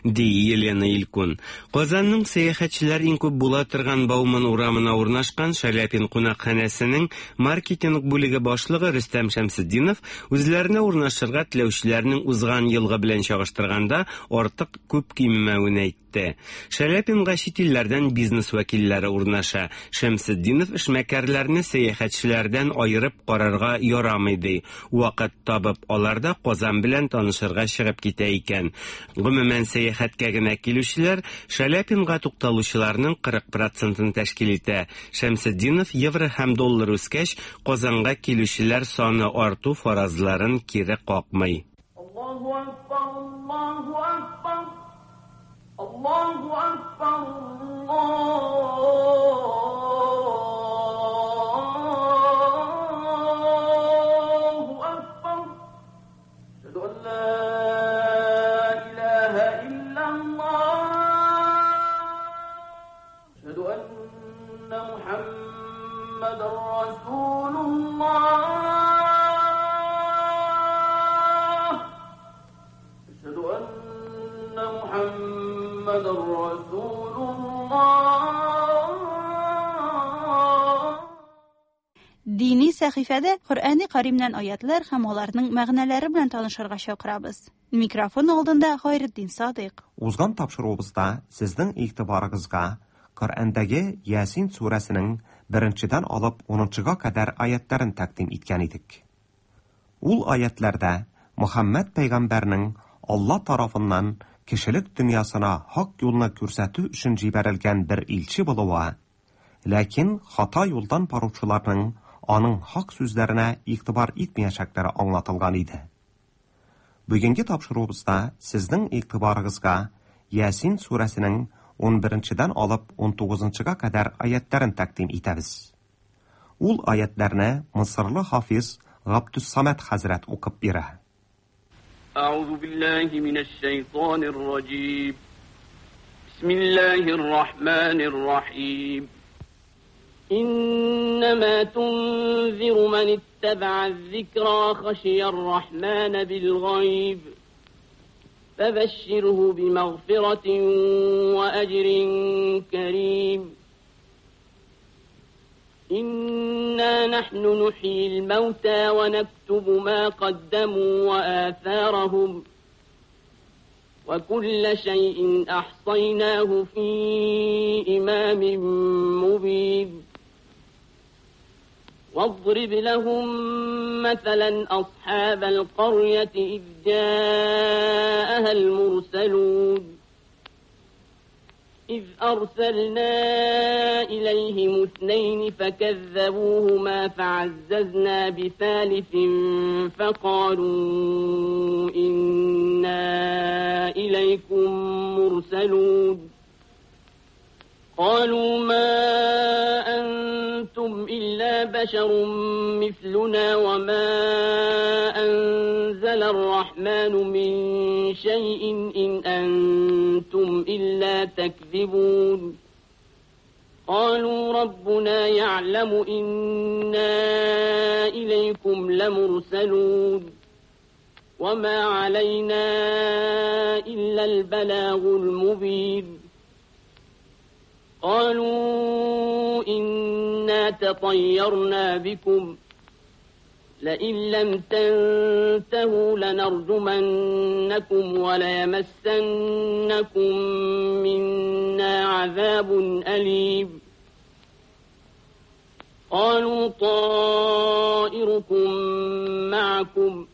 Ди Елена Илькун. Казанның сәяхәтчеләр иң күп була торган Бауман урамына урнашкан Шаляпин кунакханәсенең маркетинг бүлеге башлыгы Рөстәм Шәмсетдинов үзләренә урнашырга теләүчеләрнең узган елгы белән чагыштырганда артык күп кимемәвен әйтте. Шаляпинга чит илләрдән бизнес вәкилләре урнаша. Шәмсетдинов эшмәкәрләрне сәяхәтчеләрдән аерып карарга ярамый ди. Вакыт табып, алар да Казан белән танышырга чыгып китә икән. Гомумән, сәяхәткә генә килүчеләр Шаляпинга тукталучыларның 40 процентын тәшкил итә. Шәмсетдинов евро һәм доллар үскәч, Казанга килүчеләр саны арту фаразларын кире какмый. Аллаһу акбар, Аллаһу акбар, Аллаһу акбар, Аллаһу акбар. Әшһәду ан ла илаһа иллаллаһ. Әшһәду анна Мухаммадан расулуллаһ. Әшһәду анна Мухаммадан расулуллаһ. Дини сәхифәдә Коръәни Каримнән аятлар һәм аларның мәгънәләре белән танышырга чакырабыз. Микрофон алдында Хайретдин Садыйк. Узган тапшыруыбызда сезнең игътибарыгызга Коръәндәге Ясин сүрәсенең беренчедән алып унынчыга кадәр аятларын тәкъдим иткән идек. Ул аятларда Мөхәммәд пәйгамбәрнең Алла тарафыннан кешелек дөньясына хак юлны күрсәтү өчен җибәрелгән бер илче булуы, ләкин хата юлдан баручыларның аның хак сүзләренә игътибар итмәячәкләре аңлатылган иде. Бүгенге тапшыруыбызда сезнең игътибарыгызга Ясин сүрәсенең 11-дән алып 19-га кадәр аятларын тәкъдим итәбез. Ул аятларны Мисырлы хафиз Габдус-Самад хәзрәт укып бирә. أعوذ بالله من الشيطان الرجيم بسم الله الرحمن الرحيم إنما تنذر من اتبع الذكر وخشي الرحمن بالغيب فبشره بمغفرة وأجر كريم إنا نحن نحيي الموتى ونكتب ما قدموا وآثارهم وكل شيء أحصيناه في إمام مبين واضرب لهم مثلا أصحاب القرية إذ جاءها المرسلون إذ أرسلنا إليهم اثنين فكذبوهما فعززنا بثالث فقالوا إنا إليكم مرسلون قالوا ما أنتم إلا بشر مثلنا وما أنزل الرحمن من شيء إن أنتم إلا تكذبون قالوا ربنا يعلم إنا إليكم لمرسلون وما علينا إلا البلاغ المبين قالوا إنا تطيرنا بكم لئن لم تنتهوا لنرجمنكم وليمسنكم منا عذاب أليم قالوا طائركم معكم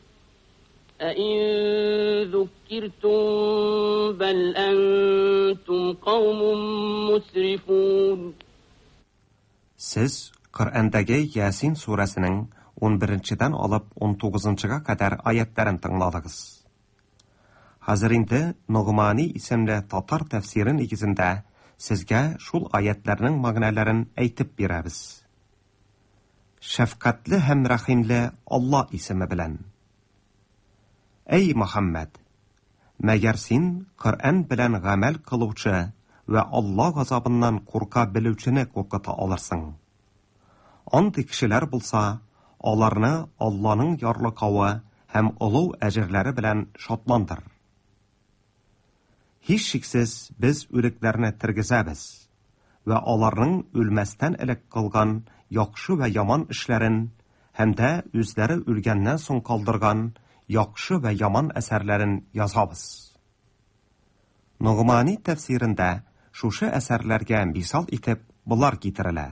أئن ذكرتم بل أنتم قوم مسرفون Сез Коръәндәге Ясин сүрәсенең 11-дән алып 19-га кадәр аятларын тыңладыгыз. Хәзер инде Ногмани исемле татар тәфсире нигезендә сезгә шул аятларның мәгънәләрен әйтеп бирәбез. Шәфкатьле һәм рәхимле Алла исеме белән. Әй Мөхәммәд, мәгәр син Коръән белән гамәл кылучы вә Алла газабыннан курка белүчене куркыта алырсың. Андый кешеләр булса, аларны Алланың ярлыкавы һәм олуг әҗерләре белән шатландыр. Һичшиксез без үлекләрне тергезәбез вә аларның үлмәстән элек кылган яхшы вә яман эшләрен һәм дә үзләре үлгәннән соң калдырган яхшы вә яман әсәрләрен язабыз. Ногмани тәфсирендә шушы әсәрләргә мисал итеп болар китерелә.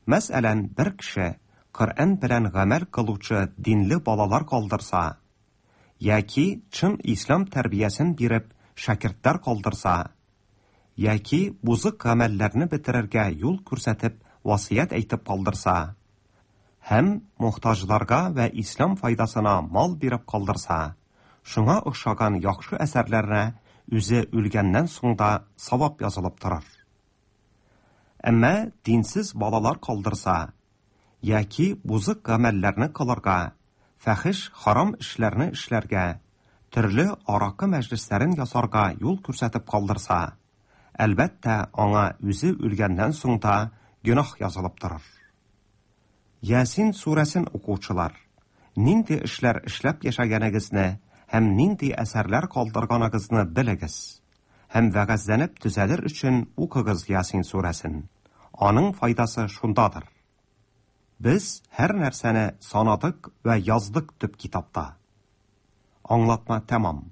Мәсәлән, бер кеше Коръән белән гамәл кылучы динле балалар калдырса, яки чын ислам тәрбиясен биреп шәкертләр калдырса, яки бузык гамәлләрне бетерергә юл күрсәтеп васыять әйтеп калдырса, һәм мохтаҗларга вә ислам файдасына мал биреп калдырса, шуңа охшаган яхшы әсәрләренә үзе үлгәннән соң да савап язылып торыр. Әмма динсез балалар калдырса, яки бузык гамәлләрне кылырга, фәхиш харам эшләрне эшләргә, төрле аракы мәҗлесләрен ясарга юл күрсәтеп калдырса, әлбәттә, аңа үзе үлгәннән соң да гөнаһ язылып торыр. Ясин сүрәсен укучылар, нинди эшләр эшләп яшәгәнегезне һәм нинди әсәрләр калдырганыгызны белегез һәм вәгазьләнеп төзәлер өчен укыгыз Ясин сүрәсен. Аның файдасы шундадыр. Без һәр нәрсәне санадык вә яздык төп китапта. Аңлатма тәмам.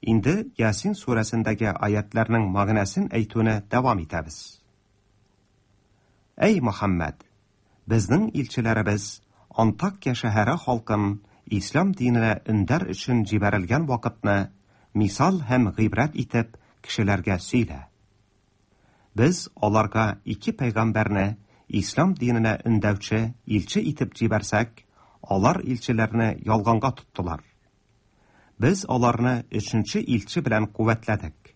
Инде Ясин сүрәсендәге аятларның мәгънәсен әйтүне дәвам итәбез. Әй Мөхәммәд, безнең илчеләребез Антакия шәһәре халкын ислам диненә өндәр өчен җибәрелгән вакытны мисал һәм гыйбрәт итеп кешеләргә сөйлә. Без аларга ике пәйгамбәрне ислам диненә өндәүче илче итеп җибәрсәк, алар илчеләрне ялганга тоттылар. Без аларны өченче илче белән куәтләдек.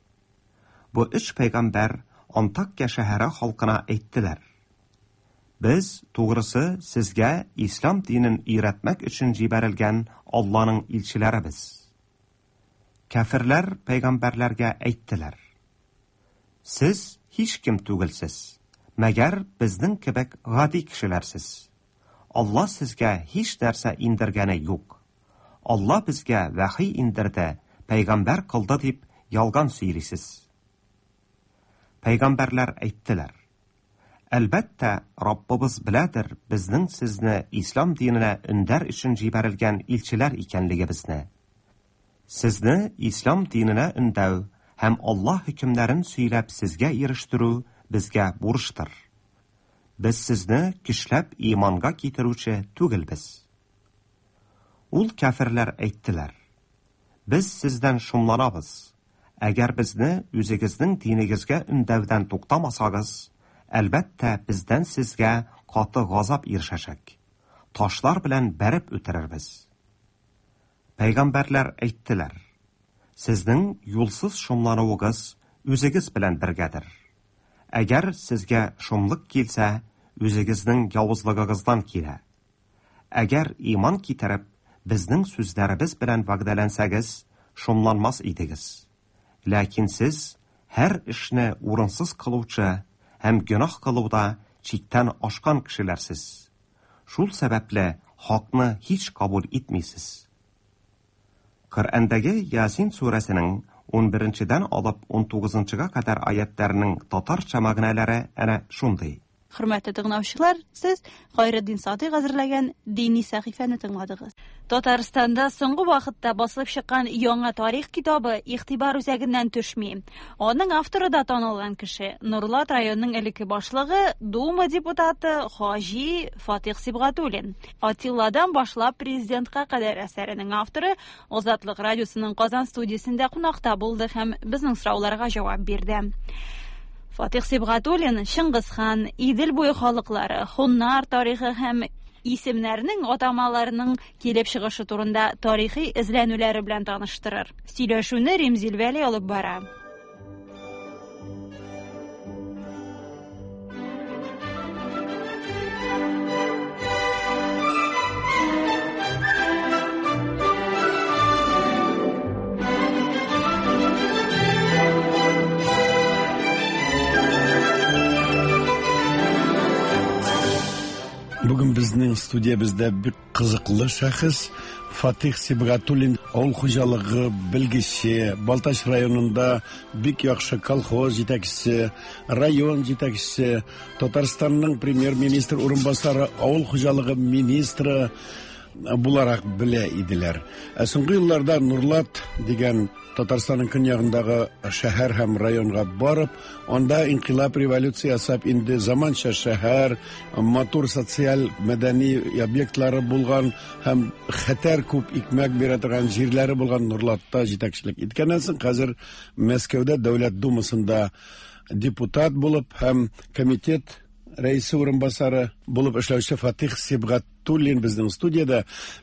Бу өч пәйгамбәр Антакия шәһәре халкына әйттеләр: Без, тугрысы, сезгә ислам динен өйрәтмәк өчен җибәрелгән Алланың илчеләребез. Кәферләр пәйгамбәрләргә әйттеләр: Сез һичкем түгелсез, мәгәр безнең кебек гади кешеләрсез. Алла сезгә һич нәрсә индергәне юк. Алла безгә вәхи индерде, пәйгамбәр кылды дип ялган сөйлисез. Пәйгамбәрләр әйттеләр: Әлбәттә, Раббыбыз беләдер безнең сезне ислам диненә өндәр өчен җибәрелгән илчеләр икәнлегебезне. Сезне ислам диненә өндәү һәм Алла хөкемнәрен сөйләп сезгә ирештерү безгә бурычтыр. Без сезне көчләп иманга китерүче түгелбез. Ул кәферләр әйттеләр: Без сездән шомланабыз. Әгәр безне үзегезнең динегезгә өндәүдән туктамасагыз, әлбәттә, бездән сезгә каты газап ирешәчәк. Ташлар белән бәреп үтерербез. Пәйгамбәрләр әйттеләр: Сезнең юлсыз шомлануыгыз үзегез белән бергәдер. Әгәр сезгә шомлык килсә, үзегезнең явызлыгыгыздан килә. Әгәр иман китереп, безнең сүзләребез белән вәгъдәләнсәгез, шомланмас идегез. Ләкин сез һәр эшне урынсыз кылучы һәм гөнаһ кылуда чиктән ашкан кешеләрсез. Шул сәбәпле хакны һич кабул итмисез. Коръәндәге Ясин сүрәсенең 11-дән алып 19-га кадәр аятларының татарча мәгънәләре әнә шундый. Хөрмәтле тыңлаучылар, сез Хайретдин Садыйк әзерләгән дини сәхифәне тыңладыгыз. Татарстанда соңгы вакытта басылып чыккан яңа тарих китабы игътибар үзәгеннән төшми. Аның авторы да танылган кеше, Нурлат районының элекке башлыгы, Дума депутаты Хаҗи Фатих Сибгатуллин. Атилладан башлап президентка кадәр әсәренең авторы Азатлык радиосының Казан студиясендә кунакта булды һәм безнең сорауларга җавап бирде. Фатих Сибгатуллин Чыңгызхан, Идел буе халыклары, хуннар тарихы һәм исемнәрнең атамаларының килеп чыгышы турында тарихи эзләнүләре белән таныштырыр. Сөйләшүне Римзил Вәли алып бара. Бүген безнең студиябездә бик кызыклы шәхес Фатих Сибгатуллин, авыл хуҗалыгы белгече, Балтач районында бик яхшы колхоз җитәкчесе, район җитәкчесе, Татарстанның премьер-министр урынбасары, авыл хуҗалыгы министры буларак белә иделәр. Ә соңгы елларда Нурлат дигән Татарстанның көньягындагы шәһәр һәм районга барып, анда инкыйлаб революция ясап, инде заманча шәһәр, матур социаль мәдәни объектлары булган һәм хәтәр күп икмәк бирә торган җирләре булган Нурлатта җитәкчелек иткәннән соң, хәзер Мәскәүдә Дәүләт Думасында депутат булып һәм комитет рәисе урынбасары булып эшләүче Фатих Сибгатуллин безнең студиядә.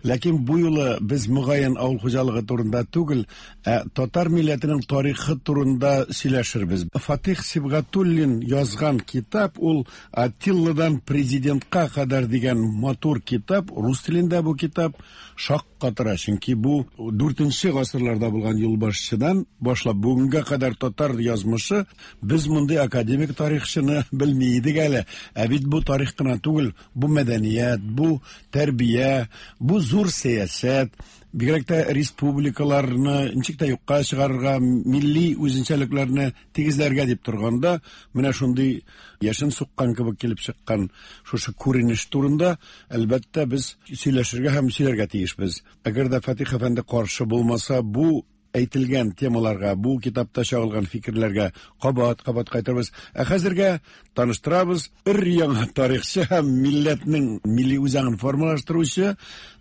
Ләкин бу юлы без мөгаен авыл хуҗалыгы турында түгел, ә татар милләтенең тарихы турында сөйләшербез. Фатих Сибгатуллин язган китап ул Атилладан президентка кадәр дигән матур китап, рус телендә бу китап шаккатыра, чөнки бу 4 гасырларда булган юлбашчыдан башлап бүгенгә кадәр татар язмышы. Без мондый академик тарихчыны белми идек әле. Ә бит бу тарих кына түгел, бу мәдәният, бу тәрбия, бу зур сәясәт, бигрәк тә республикаларны ничек тә юкка чыгарырга, милли үзенчәлекләрне тигезләргә дип торганда, менә шундый яшен суккан кебек килеп чыккан шушы күренеш турында, әлбәттә, без сөйләшергә һәм сөйләргә тиешбез. Әгәр дә Фатих әфәнде каршы булмаса, бу әйтелгән темаларга, бу китапта чагылган фикерләргә кабат-кабат кайтырбыз. Ә хәзергә таныштырабыз өр-яңа тарихчы һәм милләтнең милли үзаңын формалаштыручы,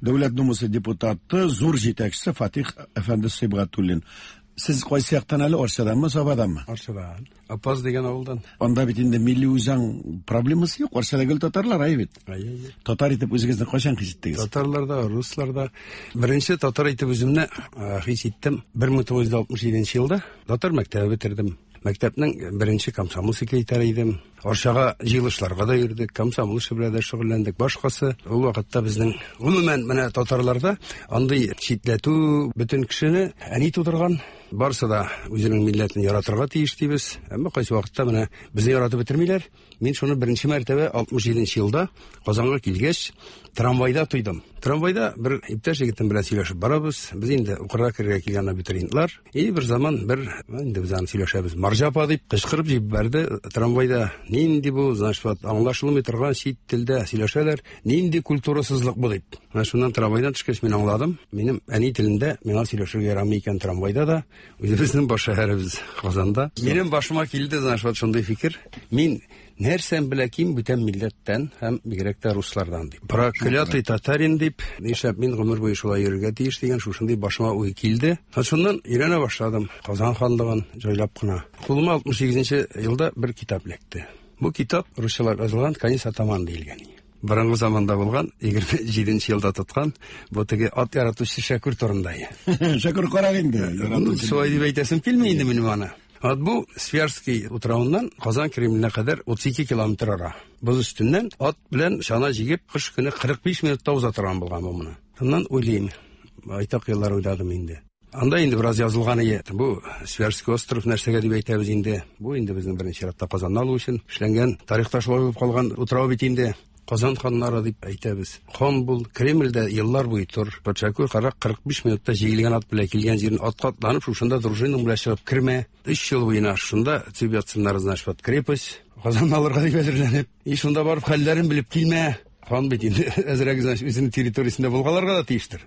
Дәүләт Думасы депутаты, зур җитәкчесе Фатих әфәнде Сибгатуллин. Сез кайсы яктан әле, Арчаданмы, Сабаданмы? Арчадан. Апаз дигән авылдан. Анда бит инде милли үзаң проблемасы юк, Арчада гел татарлар, әйе бит? Әйе, әйе. Татар итеп үзегезне кайчан хис иттегез? Татарлар да, руслар да. Беренче татар итеп үземне хис иттем 1967 елда. Татар мәктәбе бетердем. Мәктәпнең беренче комсомол секретаре идем. Арчага җыелышларга да йөрдек, комсомол эше белән дә шөгыльләндек. Башкасы ул вакытта безнең гомумән менә татарларда андый читләтү бөтен кешене әни тудырган. Барысы да үзенең милләтен яратырга тиеш дибез. Әмма кайсы вакытта менә безне яратып бетермиләр. Мин шуны беренче мәртәбә 67 елда Казанга килгәч, трамвайда тойдым. Трамвайда бер иптәш егетем белән сөйләшеп барабыз. Без инде укырга керергә килгән абитуриентлар. И бер заман бер инде без аны сөйләшәбез. Марҗа апа дип кычкырып җибәрде трамвайда. Нинди бу, значит, аңлашылмый торган чит телдә сөйләшәләр. Нинди культурасызлык бу дип. Менә шуннан трамвайдан төшкәч мин аңладым. Минем әни телендә миңа сөйләшергә ярамый икән трамвайда да. Үзебезнең баш шәһәребез Казанда. Минем башыма килде, знаешь, вот шундый фикер. Мин нәрсәм белә ким бүтән милләттән һәм бигрәк тә руслардан дип. Проклятый татарин дип, нишләп мин гомер буе шулай йөрергә тиеш дигән шушындый башыма уй килде. Һәм шуннан өйрәнә башладым Казан ханлыгын җайлап кына. Кулыма 68 елда бер китап эләкте. Бу китап русчалап язылган Конец атаман диелгән. Борынгы заманда булган, 27 елда тоткан бу теге ат яратучы Шәкүр турында. Шәкүр карак инде. Шулай дип әйтәсем килми инде минем аны. Вот бу Свияжский утравыннан Казан Кремленә кадәр 32 километр ара. Боз өстеннән ат белән чана җигеп, кыш көне 45 минутта уза торган булган бу моны. Шуннан уйлыйм, байтак еллар уйладым инде. Анда инде бераз язылган ие. Бу Свияжский остров нәрсәгә дип әйтәбез инде. Бу инде безнең беренче чиратта Казанны алу өчен эшләнгән, тарихта шулай булып калган утрау бит инде. Казан ханнары дип әйтәбез. Хан бул, Кремльдә еллар буе тор. Патшакүр карак 45 минутта җигелгән ат белән килгән җирен атка атланып, шушында дружинаң белән чыгып кермә. Өч ел буена шунда төп ятсыннар, значит, вот крепость. Казанны алырга дип әзерләнеп. И шунда барып хәлләрен белеп килмә. Хан бит инде әзрәк, значит, үзенең территориясендә булгаларга да тиештер.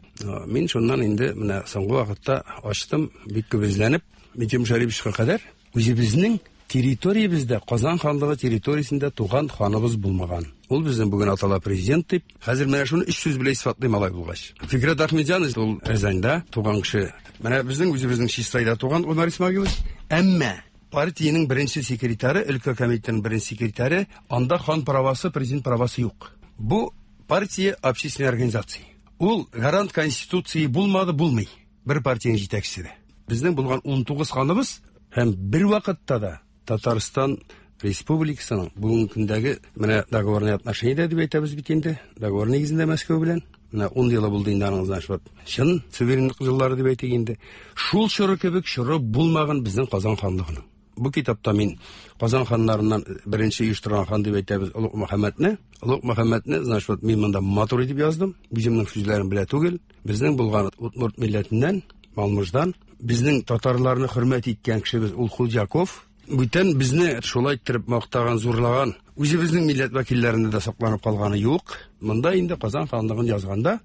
Мин шуннан инде менә соңгы вакытта ачтым, бик күп эзләнеп, Минтимер Шәриповичка кадәр үзебезнең территориябездә, Казан ханлыгы территориясендә туган ханыбыз булмаган. Ул безнең бүген атала президент дип. Хәзер менә шуны өч сүз белән исбатлыйм алай булгач. Фикрәт Ахмедҗанов ул Рязаньда туган кеше. Менә безнең үзебезнең Чистайда туган Гомәр Исмагилович. Әмма партиянең беренче секретаре, өлкә комитетының беренче секретаре, анда хан правасы, президент правасы юк. Бу партия общественной организации. Ул гарант конституции булмады, булмый. Бер партиянең җитәкчесе дә. Безнең булган 19 ханыбыз һәм бер вакытта да Татарстан Республикасының бүгенге көндәге менә договорный отношение дип әйтәбез бит инде, договор нигезендә Мәскәү белән. Менә 10 елы булды инде аның, значит, вот чын суверенлык еллары дип әйтик инде. Шул чоры кебек чоры булмаган безнең Казан ханлыгының. Бу китапта мин Казан ханнарыннан беренче оештырган хан дип әйтәбез Олуг Мөхәммәдне. Олуг Мөхәммәдне, значит, вот мин монда матур итеп яздым. Үземнең сүзләрем белә түгел. Безнең булган удмурт милләтеннән, Малмыждан, безнең татарларны хөрмәт иткән кешебез ул Худяков. Бүтән безне шулай иттереп мактаган, зурлаган, үзебезнең милләт вәкилләрендә дә сакланып калганы юк. Монда инде Казан ханлыгын язганда,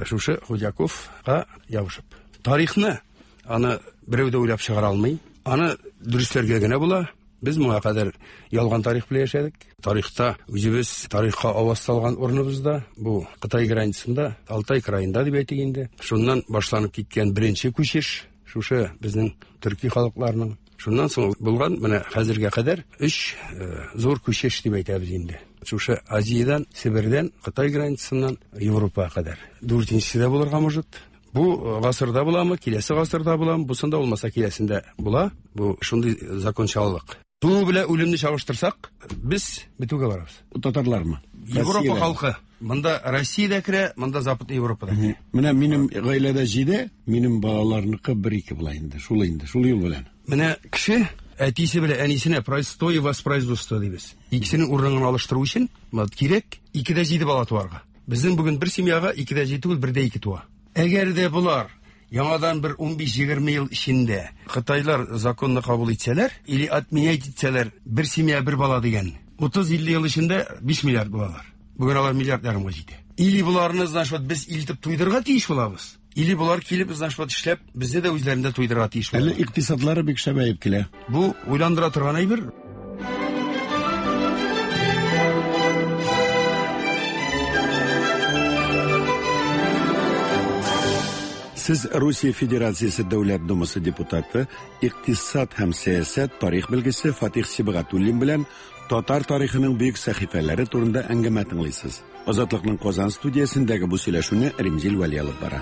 шушы Худяковка ябышып. Тарихны аны берәү дә уйлап чыгара алмый. Аны дөресләргә генә була. Без моңа кадәр ялган тарих белән яшәдек. Тарихта үзебез тарихка аваз салган урыныбызда, бу Кытай границасында, Алтай краенда дип әйтик инде. Шуннан башланып киткән беренче күчеш, шушы безнең төрки халыкларның. Шуннан соң булган менә хәзергә кадәр өч зур күчеш дип әйтәбез инде. Шушы Азиядән, Себердән, Кытай границасыннан Европага кадәр. Дүртенчесе дә булырга может. Бу гасырда буламы, киләсе гасырда буламы, бусында булмаса киләсендә була. Бу шундый закончалык. Туу белән үлемне чагыштырсак, без бетүгә барабыз. Татарлармы? Европа халкы. Монда Россия дә керә, монда Западный Европа да керә. Менә минем гаиләдә 7, минем балаларныкы 1-2 була инде. Шул инде, шул юл белән. Менә кеше әтисе белән әнисенә простое воспроизводство дибез. Икесенең урынын алыштыру өчен кирәк 2-7 бала туарга. Безнең бүген бер семьяга 2-7 түгел, 1-2 туа. Әгәр дә болар яңадан бер 15-20 ел эчендә Кытайлар законны кабул итсәләр, или отменять итсәләр, бер семья бер бала дигән, 30-50 ел эчендә 5 миллиард булалар. Бүген алар миллиард ярымга җитә. Или боларны, значит, вот без илтеп туйдырырга тиеш булабыз. Или болар килеп, значит, вот эшләп, безне дә үзләрендә туйдырырга тиеш булалар. Әле икътисадлары бик шәбәеп килә. Бу уйландыра торган әйбер. Сез Русия Федерациясе Дәүләт Думасы депутаты, икътисад һәм сәясәт тарих белгече Фатих Сибгатуллин белән татар тарихының бөек сәхифәләре турында әңгәмә тыңлыйсыз. Азатлыкның Казан студиясендәге бу сөйләшүне Римзил Вәли алып бара.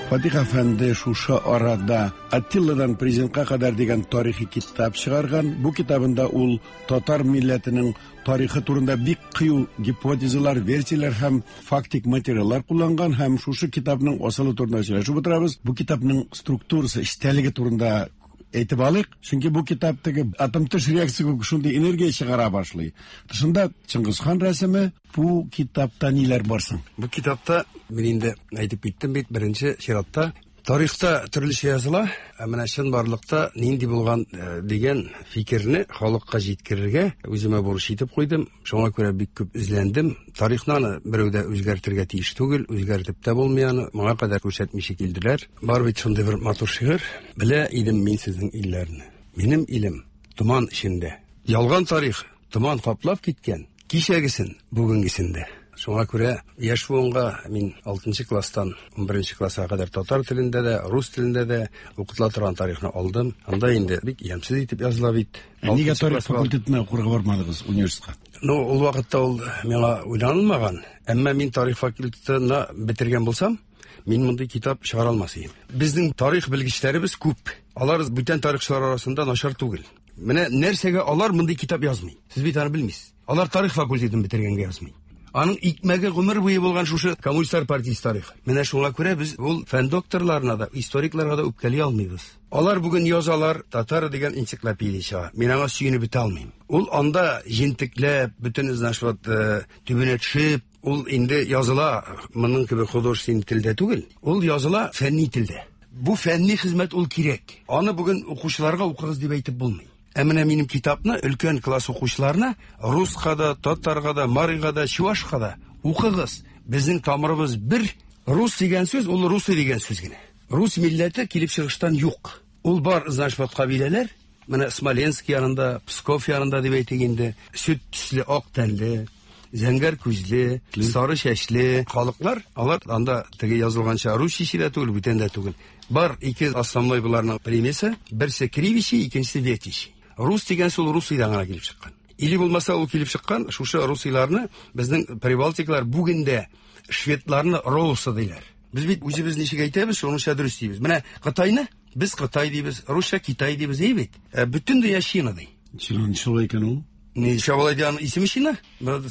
Фатих әфәнде шушы арада Аттиладан президентка кадәр дигән тарихи китап чыгарган. Бу китабында ул татар милләтенең тарихы турында бик кыю гипотезалар, версияләр һәм фактик материаллар кулланган һәм шушы китапның асылы турында сөйләшеп утырабыз. Бу китапның структурасы, эчтәлеге турында әйтеп алыйк. Чөнки бу китап теге атом төш реакция күк шундый энергия чыгара башлый. Тышында Чыңгызхан рәсеме. Бу китапта ниләр бар соң? Бу китапта мин инде әйтеп киттем бит, беренче чиратта Тарихта төрлечә языла, ә менә чынбарлыкта нинди булган э, дигән фикерне халыкка җиткерергә үземә бурыч итеп куйдым. Шуңа күрә бик күп эзләндем. Тарихны аны берәү дә үзгәртергә тиеш түгел, үзгәртеп тә булмый аны. Моңа кадәр күрсәтмичә килделәр. Бар бит шундый бер матур шигырь. Белә идем мин сезнең илләрне. Минем илем томан эчендә. Ялган тарих томан каплап киткән, кичәгесен, бүгенгесен дә. Шуңа күрә яшь буынга мин 6 класстан 11 класска кадәр татар телендә дә, рус телендә дә укытыла торган тарихны алдым. Анда инде бик ямьсез итеп языла бит. Ә нигә тарих факультетына укырга бармадыгыз университетка? Ну, ул вакытта ул миңа уйланылмаган. Әмма мин тарих факультетына бетергән булсам, мин мондый китап чыгара алмас идем. Безнең тарих белгечләребез күп. Алар бүтән тарихчылар арасында начар түгел. Менә нәрсәгә алар мондый китап язмый? Сез бит аны белмисез. Алар тарих факультетын бетергәнгә язмый. Аның икмәге гомер буе булган шушы коммунистлар партиясе тарихы. Менә шуңа күрә без ул фән докторларына да, историкларга да үпкәли алмыйбыз. Алар бүген язалар, татар дигән энциклопедия чыга. Мин аңа сөенеп бетә алмыйм. Ул анда җентекләп, бөтен значит, вот, э, төбенә төшеп, ул инде языла моның кебек художественный телдә түгел. Ул языла фәнни телдә. Бу фәнни хезмәт ул кирәк. Аны бүген укучыларга укыгыз дип әйтеп булмый. Ә менә минем китапны өлкән класс укучыларына руска да, татарга да, марига да, чувашка да укыгыз. Безнең тамырыбыз бер. Рус дигән сүз ул русы дигән сүз генә. Рус милләте килеп чыгыштан юк. Ул бар, значит, вот кабиләләр. Менә Смоленск янында, Псков янында дип әйтик инде. Сөт төсле ак тәнле, зәңгәр күзле, сары чәчле халыклар, алар анда теге язылганча рус чиши дә түгел, бүтән дә түгел. Бар ике основной буларның примесы, берсе кривичи, икенчесе ветичи. Рус дигән сүз русыйдан гына килеп чыккан. Или булмаса ул килеп чыккан, шушы русыйларны безнең прибалтиклар бүген дә шведларны роусы диләр. Без бит үзебез ничек әйтәбез, шуныңча дөрес дибез. Менә Кытайны без Кытай дибез, русча Китай дибез, әй бит. Ә бөтен дөнья Чина ди. Чина ничек алай икән ул? Ничек алай ди, аның исеме Чина.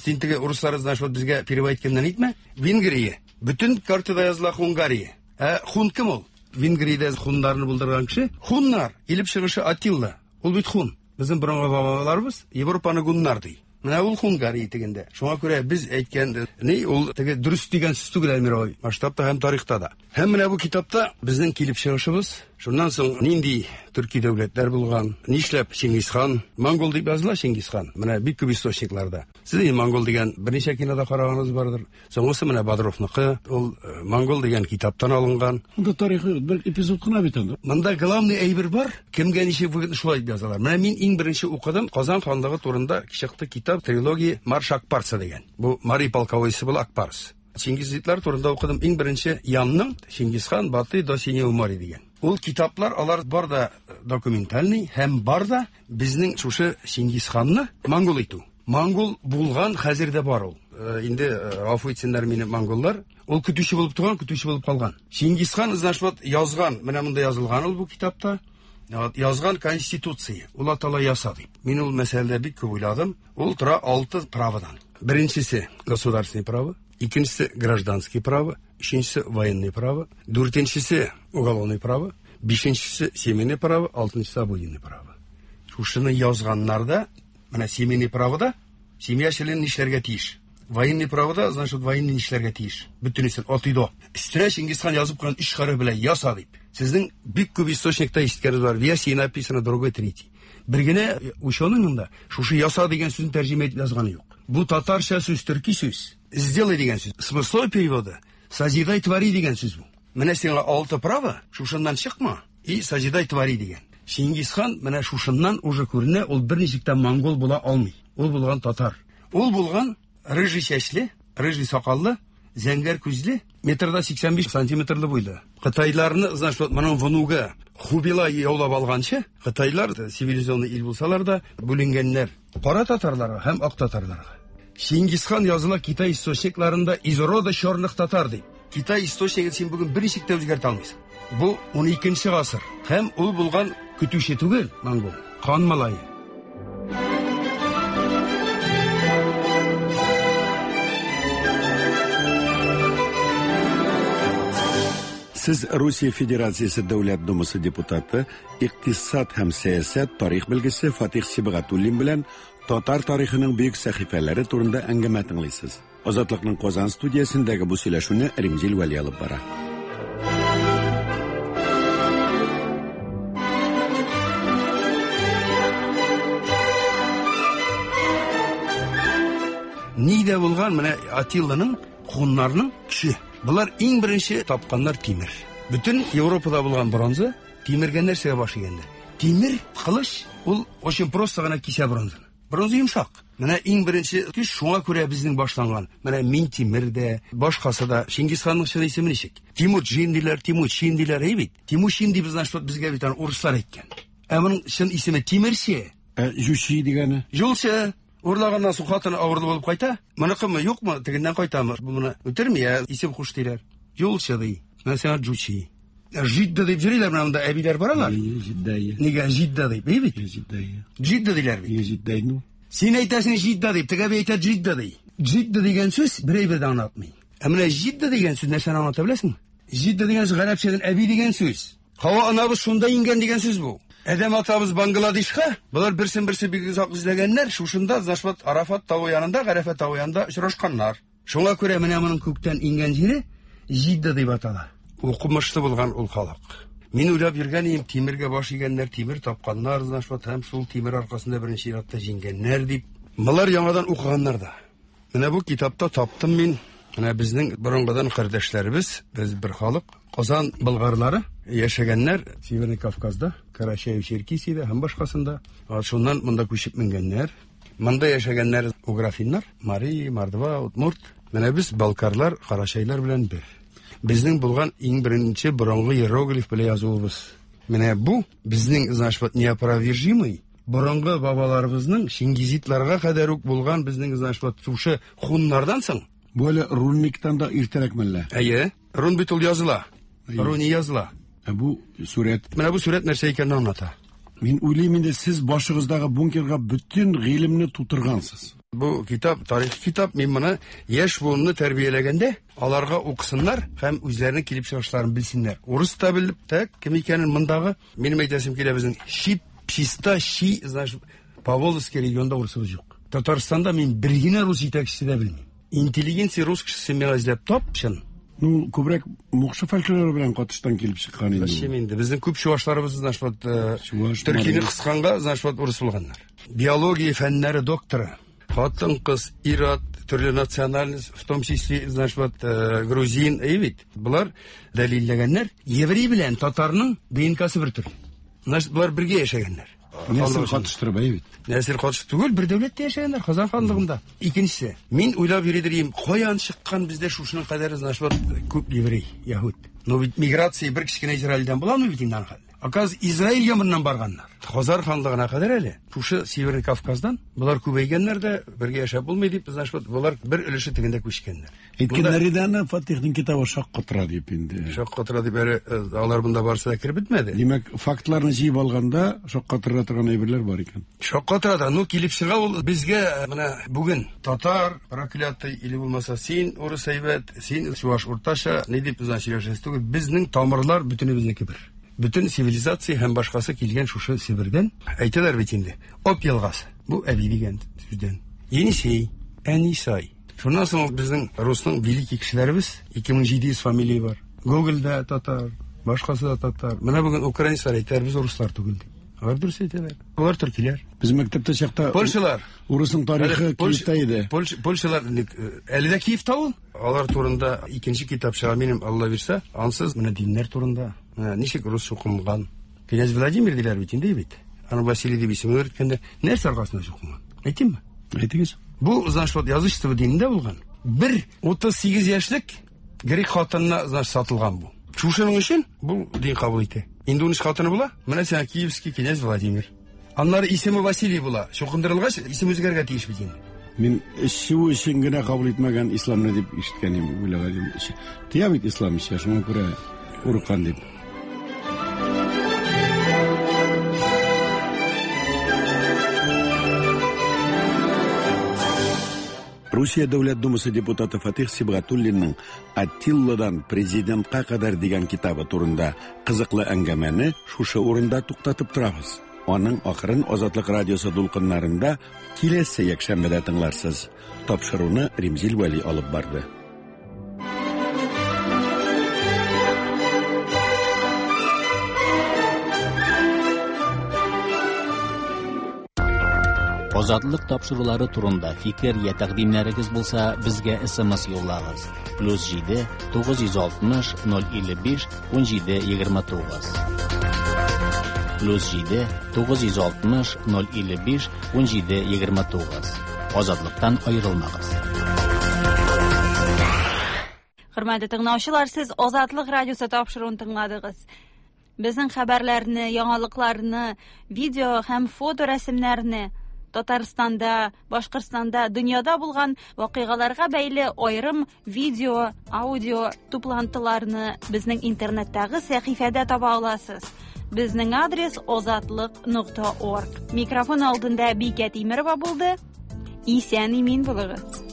Син теге урыслар значит, вот безгә перевод иткәннән әйтмә. Венгрия. Бөтен картада языла Хунгария. Ә хун кем ул? Венгриядә хуннарны булдырган кеше. Хуннар, килеп чыгышы Атилла. Ул бит хун. Безнең борынгы бабаларыбыз Европаны гуннар ди. Менә ул Хунгария тегендә. Шуңа күрә без әйткән ни ул теге дөрес дигән сүз түгел, Әлмир абый, масштабта һәм тарихта да. Һәм менә бу китапта безнең килеп чыгышыбыз, шуннан соң нинди төрки дәүләтләр булган, нишләп Чингисхан, монгол дип языла Чингисхан, менә бик күп источникларда. Сез инде монгол дигән берничә кинода караганыгыз бардыр. Соңгысы менә Бодровныкы, ул э, монгол дигән китаптан алынган. Монда тарихы бер эпизод кына бит анда. Монда главный әйбер бар, кемгә ничек выгодно шулай дип язалар. Менә мин иң беренче укыдым Казан ханлыгы турында чыкты китап трилогия Марш Акпарса дигән. Бу Мари полководецы була Акпарс. Чингизидлар турында укыдым иң беренче Янның Чингисхан Батый до Синего моря дигән. Ул китаплар алар бар да документальный һәм бар да безнең шушы Чингисханны монгол итү. Монгол булган, хәзер дә бар ул. Э, инде э, гафу итсеннәр мине монголлар. Ул көтүче булып туган, көтүче булып калган. Чингисхан, значит, вот язган, менә монда язылган ул бу китапта. Вот, язган конституция, ул атала яса дип. Мин ул мәсьәләдә бик күп уйладым. Ул тора алты праводан. Беренчесе государственный право, икенчесе гражданский право, өченчесе военный право, дүртенчесе уголовный право, бишенчесе семейный право, алтынчысы обыденный право. Шушыны язганнарда Менә семейный правода семья члены нишләргә тиеш? Военный правода, значит, военный нишләргә тиеш? Бөтенесен от и до. Өстенә Чингисхан язып куйган өч хәреф белән яса дип. Сезнең бик күп источникта ишеткәнегез бар. В Ясе написано другой, третий. Бер генә ученыйның да шушы яса дигән сүзен тәрҗемә итеп язганы юк. Бу татарча сүз, төрки сүз. Сделай дигән сүз. Смысловой переводы созидай, твори дигән сүз бу. Менә сиңа алты право, шушыннан чыкма. И созидай, твори дигән. Чингисхан менә шушыннан уже күренә, ул берничек тә монгол була алмый. Ул булган татар. Ул булган рыжий чәчле, рыжий сакаллы, зәңгәр күзле, метрда 85 сантиметрлы буйлы. Кытайларны, значит, вот моның внугы Хубилай яулап алганчы, кытайлар цивилизованный ил булсалар да, бүленгәннәр. Кара татарларга һәм ак татарларга. Чингисхан языла Китай источникларында из рода черных татар дип. Китай источнигын син бүген берничек тә үзгәртә алмыйсың. Бу 12 гасыр. Һәм ул булган көтүче түгел, монгол, хан малае. Сез Русия Федерациясе Дәүләт Думасы депутаты, икътисад һәм сәясәт тарих белгече Фатих Сибгатуллин белән татар тарихының бөек сәхифәләре турында әңгәмә тыңлыйсыз. Азатлыкның Казан студиясендәге бу сөйләшүне Римзил Вәли алып бара. Нидә булган менә Атилланың, хуннарның көче. Болар иң беренче тапканнар тимер. Бөтен Европада булган бронза тимергә нәрсәгә баш игәннәр? Тимер кылыч ул очень просто гына кисә бронзаны. Бронза йомшак. Менә иң беренче көч шуңа күрә безнең башланган. Менә Минтимер дә, башкасы да. Чингисханның чын исеме ничек? Тимурчин диләр, Тимучин диләр, әй бит. Тимучин дип, значит, безгә бит аны урыслар әйткән. Ә моның чын исеме Тимерче. Ә Җучи дигәне? Юлчы. Урлаганнан соң хатыны авырлы булып кайта. Моныкымы, юкмы, тегеннән кайтамы? Бу моны үтерми, ә исем куш диләр. Юлчы ди. Менә сиңа Җучи. Жидда дип йөриләр менә монда әбиләр баралар. Җидда. Нигә Жидда дип, әй бит? Җидда. Җидда диләр бит. Җидда ну. Син әйтәсең Җидда дип, теге әби әйтә Җидда ди. Җидда дигән сүз бер әйбер дә аңлатмый. Ә менә Җидда дигән сүз нәрсәне аңлата беләсеңме? Җидда дигән сүз гарәпчәдән әби дигән сүз. Һава анабыз шунда иңгән дигән сүз бу. Адәм атабыз Бангладешка, болар берсен-берсе бик озак эзләгәннәр, шушында Зашват Арафат тавы янында, Гарәфә тавы янында очрашканнар. Шуңа күрә менә моның күктән иңгән җире Җидда дип атала. Укымышлы булган ул халык. Мин уйлап йөргән идем, тимергә баш игәннәр, тимер тапканнар, значит, һәм шул тимер аркасында беренче чиратта җиңгәннәр дип. Болар яңадан укыганнар да. Менә бу китапта таптым мин. Менә безнең борынгыдан кардәшләребез, без бер халык, Казан болгарлары яшәгәннәр Северный Кавказда, Карачаево-Черкесиядә һәм башкасында. Шуннан монда күчеп менгәннәр. Монда яшәгәннәр уграфиннар, мари, мордва, удмурт. Менә без балкарлар, карачайлар белән бер. Безнең булган иң беренче борынгы иероглиф белән язуыбыз. Менә бу безнең, значит, вот неопровержимый борынгы бабаларыбызның чингизидларга кадәр үк булган безнең, значит, вот шушы хуннардан соң. Бу әле рунниктан да иртәрәк мәллә? Әйе. Рун бит ул языла. Руни языла. Ә бу сурәт? Менә бу сурәт нәрсә икәнен аңлата. Мин уйлыйм инде, сез башыгыздагы бункерга бөтен гыйлемне тутыргансыз. Бу китап, тарихи китап. Мин моны яшь буынны тәрбияләгәндә, аларга укысыннар һәм үзләренең килеп чыгышларын белсеннәр. Урыс та белеп, так, кем икәнен мондагы, минем әйтәсем килә, безнең чип, чиста, щи, значит, Поволжский регионда урысыбыз юк. Татарстанда мин бер генә рус җитәкчесе дә белмим. Интеллигенция рус кешесе миңа эзләп тап, чын. Ну, күбрәк мукшы фольклоры белән катыштан килеп чыккан инде. Зачем инде? Безнең күп чувашларыбыз, значит, вот, э, төркине кысканга, значит, вот, урыс булганнар. Биология фәннәре докторы. Хатын-кыз, ир-ат, төрле национальность, в том числе, значит, вот, э, грузин, әй бит. Болар дәлилләгәннәр. Еврей белән татарның ДНКсы бер төрле. Значит, болар бергә яшәгәннәр. Нәсел катыштырып, әй бит. Нәсел катыш түгел, бер дәүләттә яшәгәннәр, Казан ханлыгында. Икенчесе, мин уйлап йөридер идем, каян чыккан бездә шушының кадәр, значит, вот, күп еврей, яһүд. Но бит миграция бер кечкенә Израильдән буламы бит инде аның хәтле? Оказывается, Израильгә моннан барганнар. Хазар ханлыгына кадәр әле. Шушы Северный Кавказдан болар күбәйгәннәр дә, бергә яшәп булмый дип, значит, вот, болар бер өлеше тегендә күчкәннәр. Әйткәннәр иде аны, Фатихның китабы шаккатыра дип инде. Шаккатыра дип әле э, алар монда барысы да кереп бетмәде. Димәк, фактларны җыеп алганда шаккатыра торган әйберләр бар икән. Шаккатыра да, ну килеп чыга ул безгә э, менә бүген татар проклятый или булмаса син урыс әйбәт, син чуваш уртача, ни дип значит сөйләшәсе түгел. Безнең тамырлар бөтенебезнеке бер. Бөтен цивилизация һәм башкасы килгән шушы Себердән. Әйтәләр бит инде. Об елгасы. Бу әби дигән сүздән. Енисей, Әнисай. Шуннан соң безнең русның великий кешеләребез 2700 фамилия бар. Гогольдә татар, башкасы да татар. Менә бүген украинецлар әйтәләр, без руслар түгел дип. Алар дөрес әйтәләр. Алар төркиләр. Без мәктәптә чакта Польшалар. Урысның тарихы Киевта иде. Польшалар э, әле дә Киевта ул. Алар турында икенче китап чыга минем, Алла бирсә. Ансыз менә диннәр турында. Менә ничек рус чукынган. Князь Владимир диләр бит инде бит. Аны Василий дип исеме йөрткәндә нәрсә аркасында чукынган? Әйтимме? Әйтегез. Бу, значит, вот язычество динендә булган. Бер 38 яшьлек грек хатынына, значит, сатылган бу. Шушының өчен бу дин кабул итә. Инде 13 хатыны була. Менә сиңа Киевский князь Владимир. Аннары исеме Василий була. Чукындырылгач, исем үзгәрергә тиеш бит инде. Мин эчү өчен генә кабул итмәгән исламны дип ишеткән идем, уйлаган идем. Тыя бит ислам эчә, шуңа күрә курыккан дип. Русия Дәүләт Думасы депутаты Фатих Сибгатуллинның Аттилладан президентка кадәр дигән китабы турында кызыклы әңгәмәне шушы урында туктатып торабыз. Аның ахырын Азатлык радиосы дулкыннарында киләсе якшәмбедә тыңларсыз. Тапшыруны Римзил Вәли алып барды. Азатлык тапшырулары турында фикер я тәкъдимнәрегез булса, безгә SMS юллагыз. Плюс 7 960 055 17 29. Плюс 7 960 055 17 29. Азатлыктан аерылмагыз. Хөрмәтле тыңлаучылар, сез Азатлык радиосы тапшыруын тыңладыгыз. Безнең хәбәрләрне, яңалыкларны, видео һәм фоторәсемнәрне Татарстанда, Башкортстанда, дөньяда булган вакыйгаларга бәйле аерым видео, аудио туплантыларны безнең интернеттагы сәхифәдә таба аласыз. Безнең адрес озатлык.орг. Микрофон алдында Бикә Тимерова булды. Исән имин булыгыз.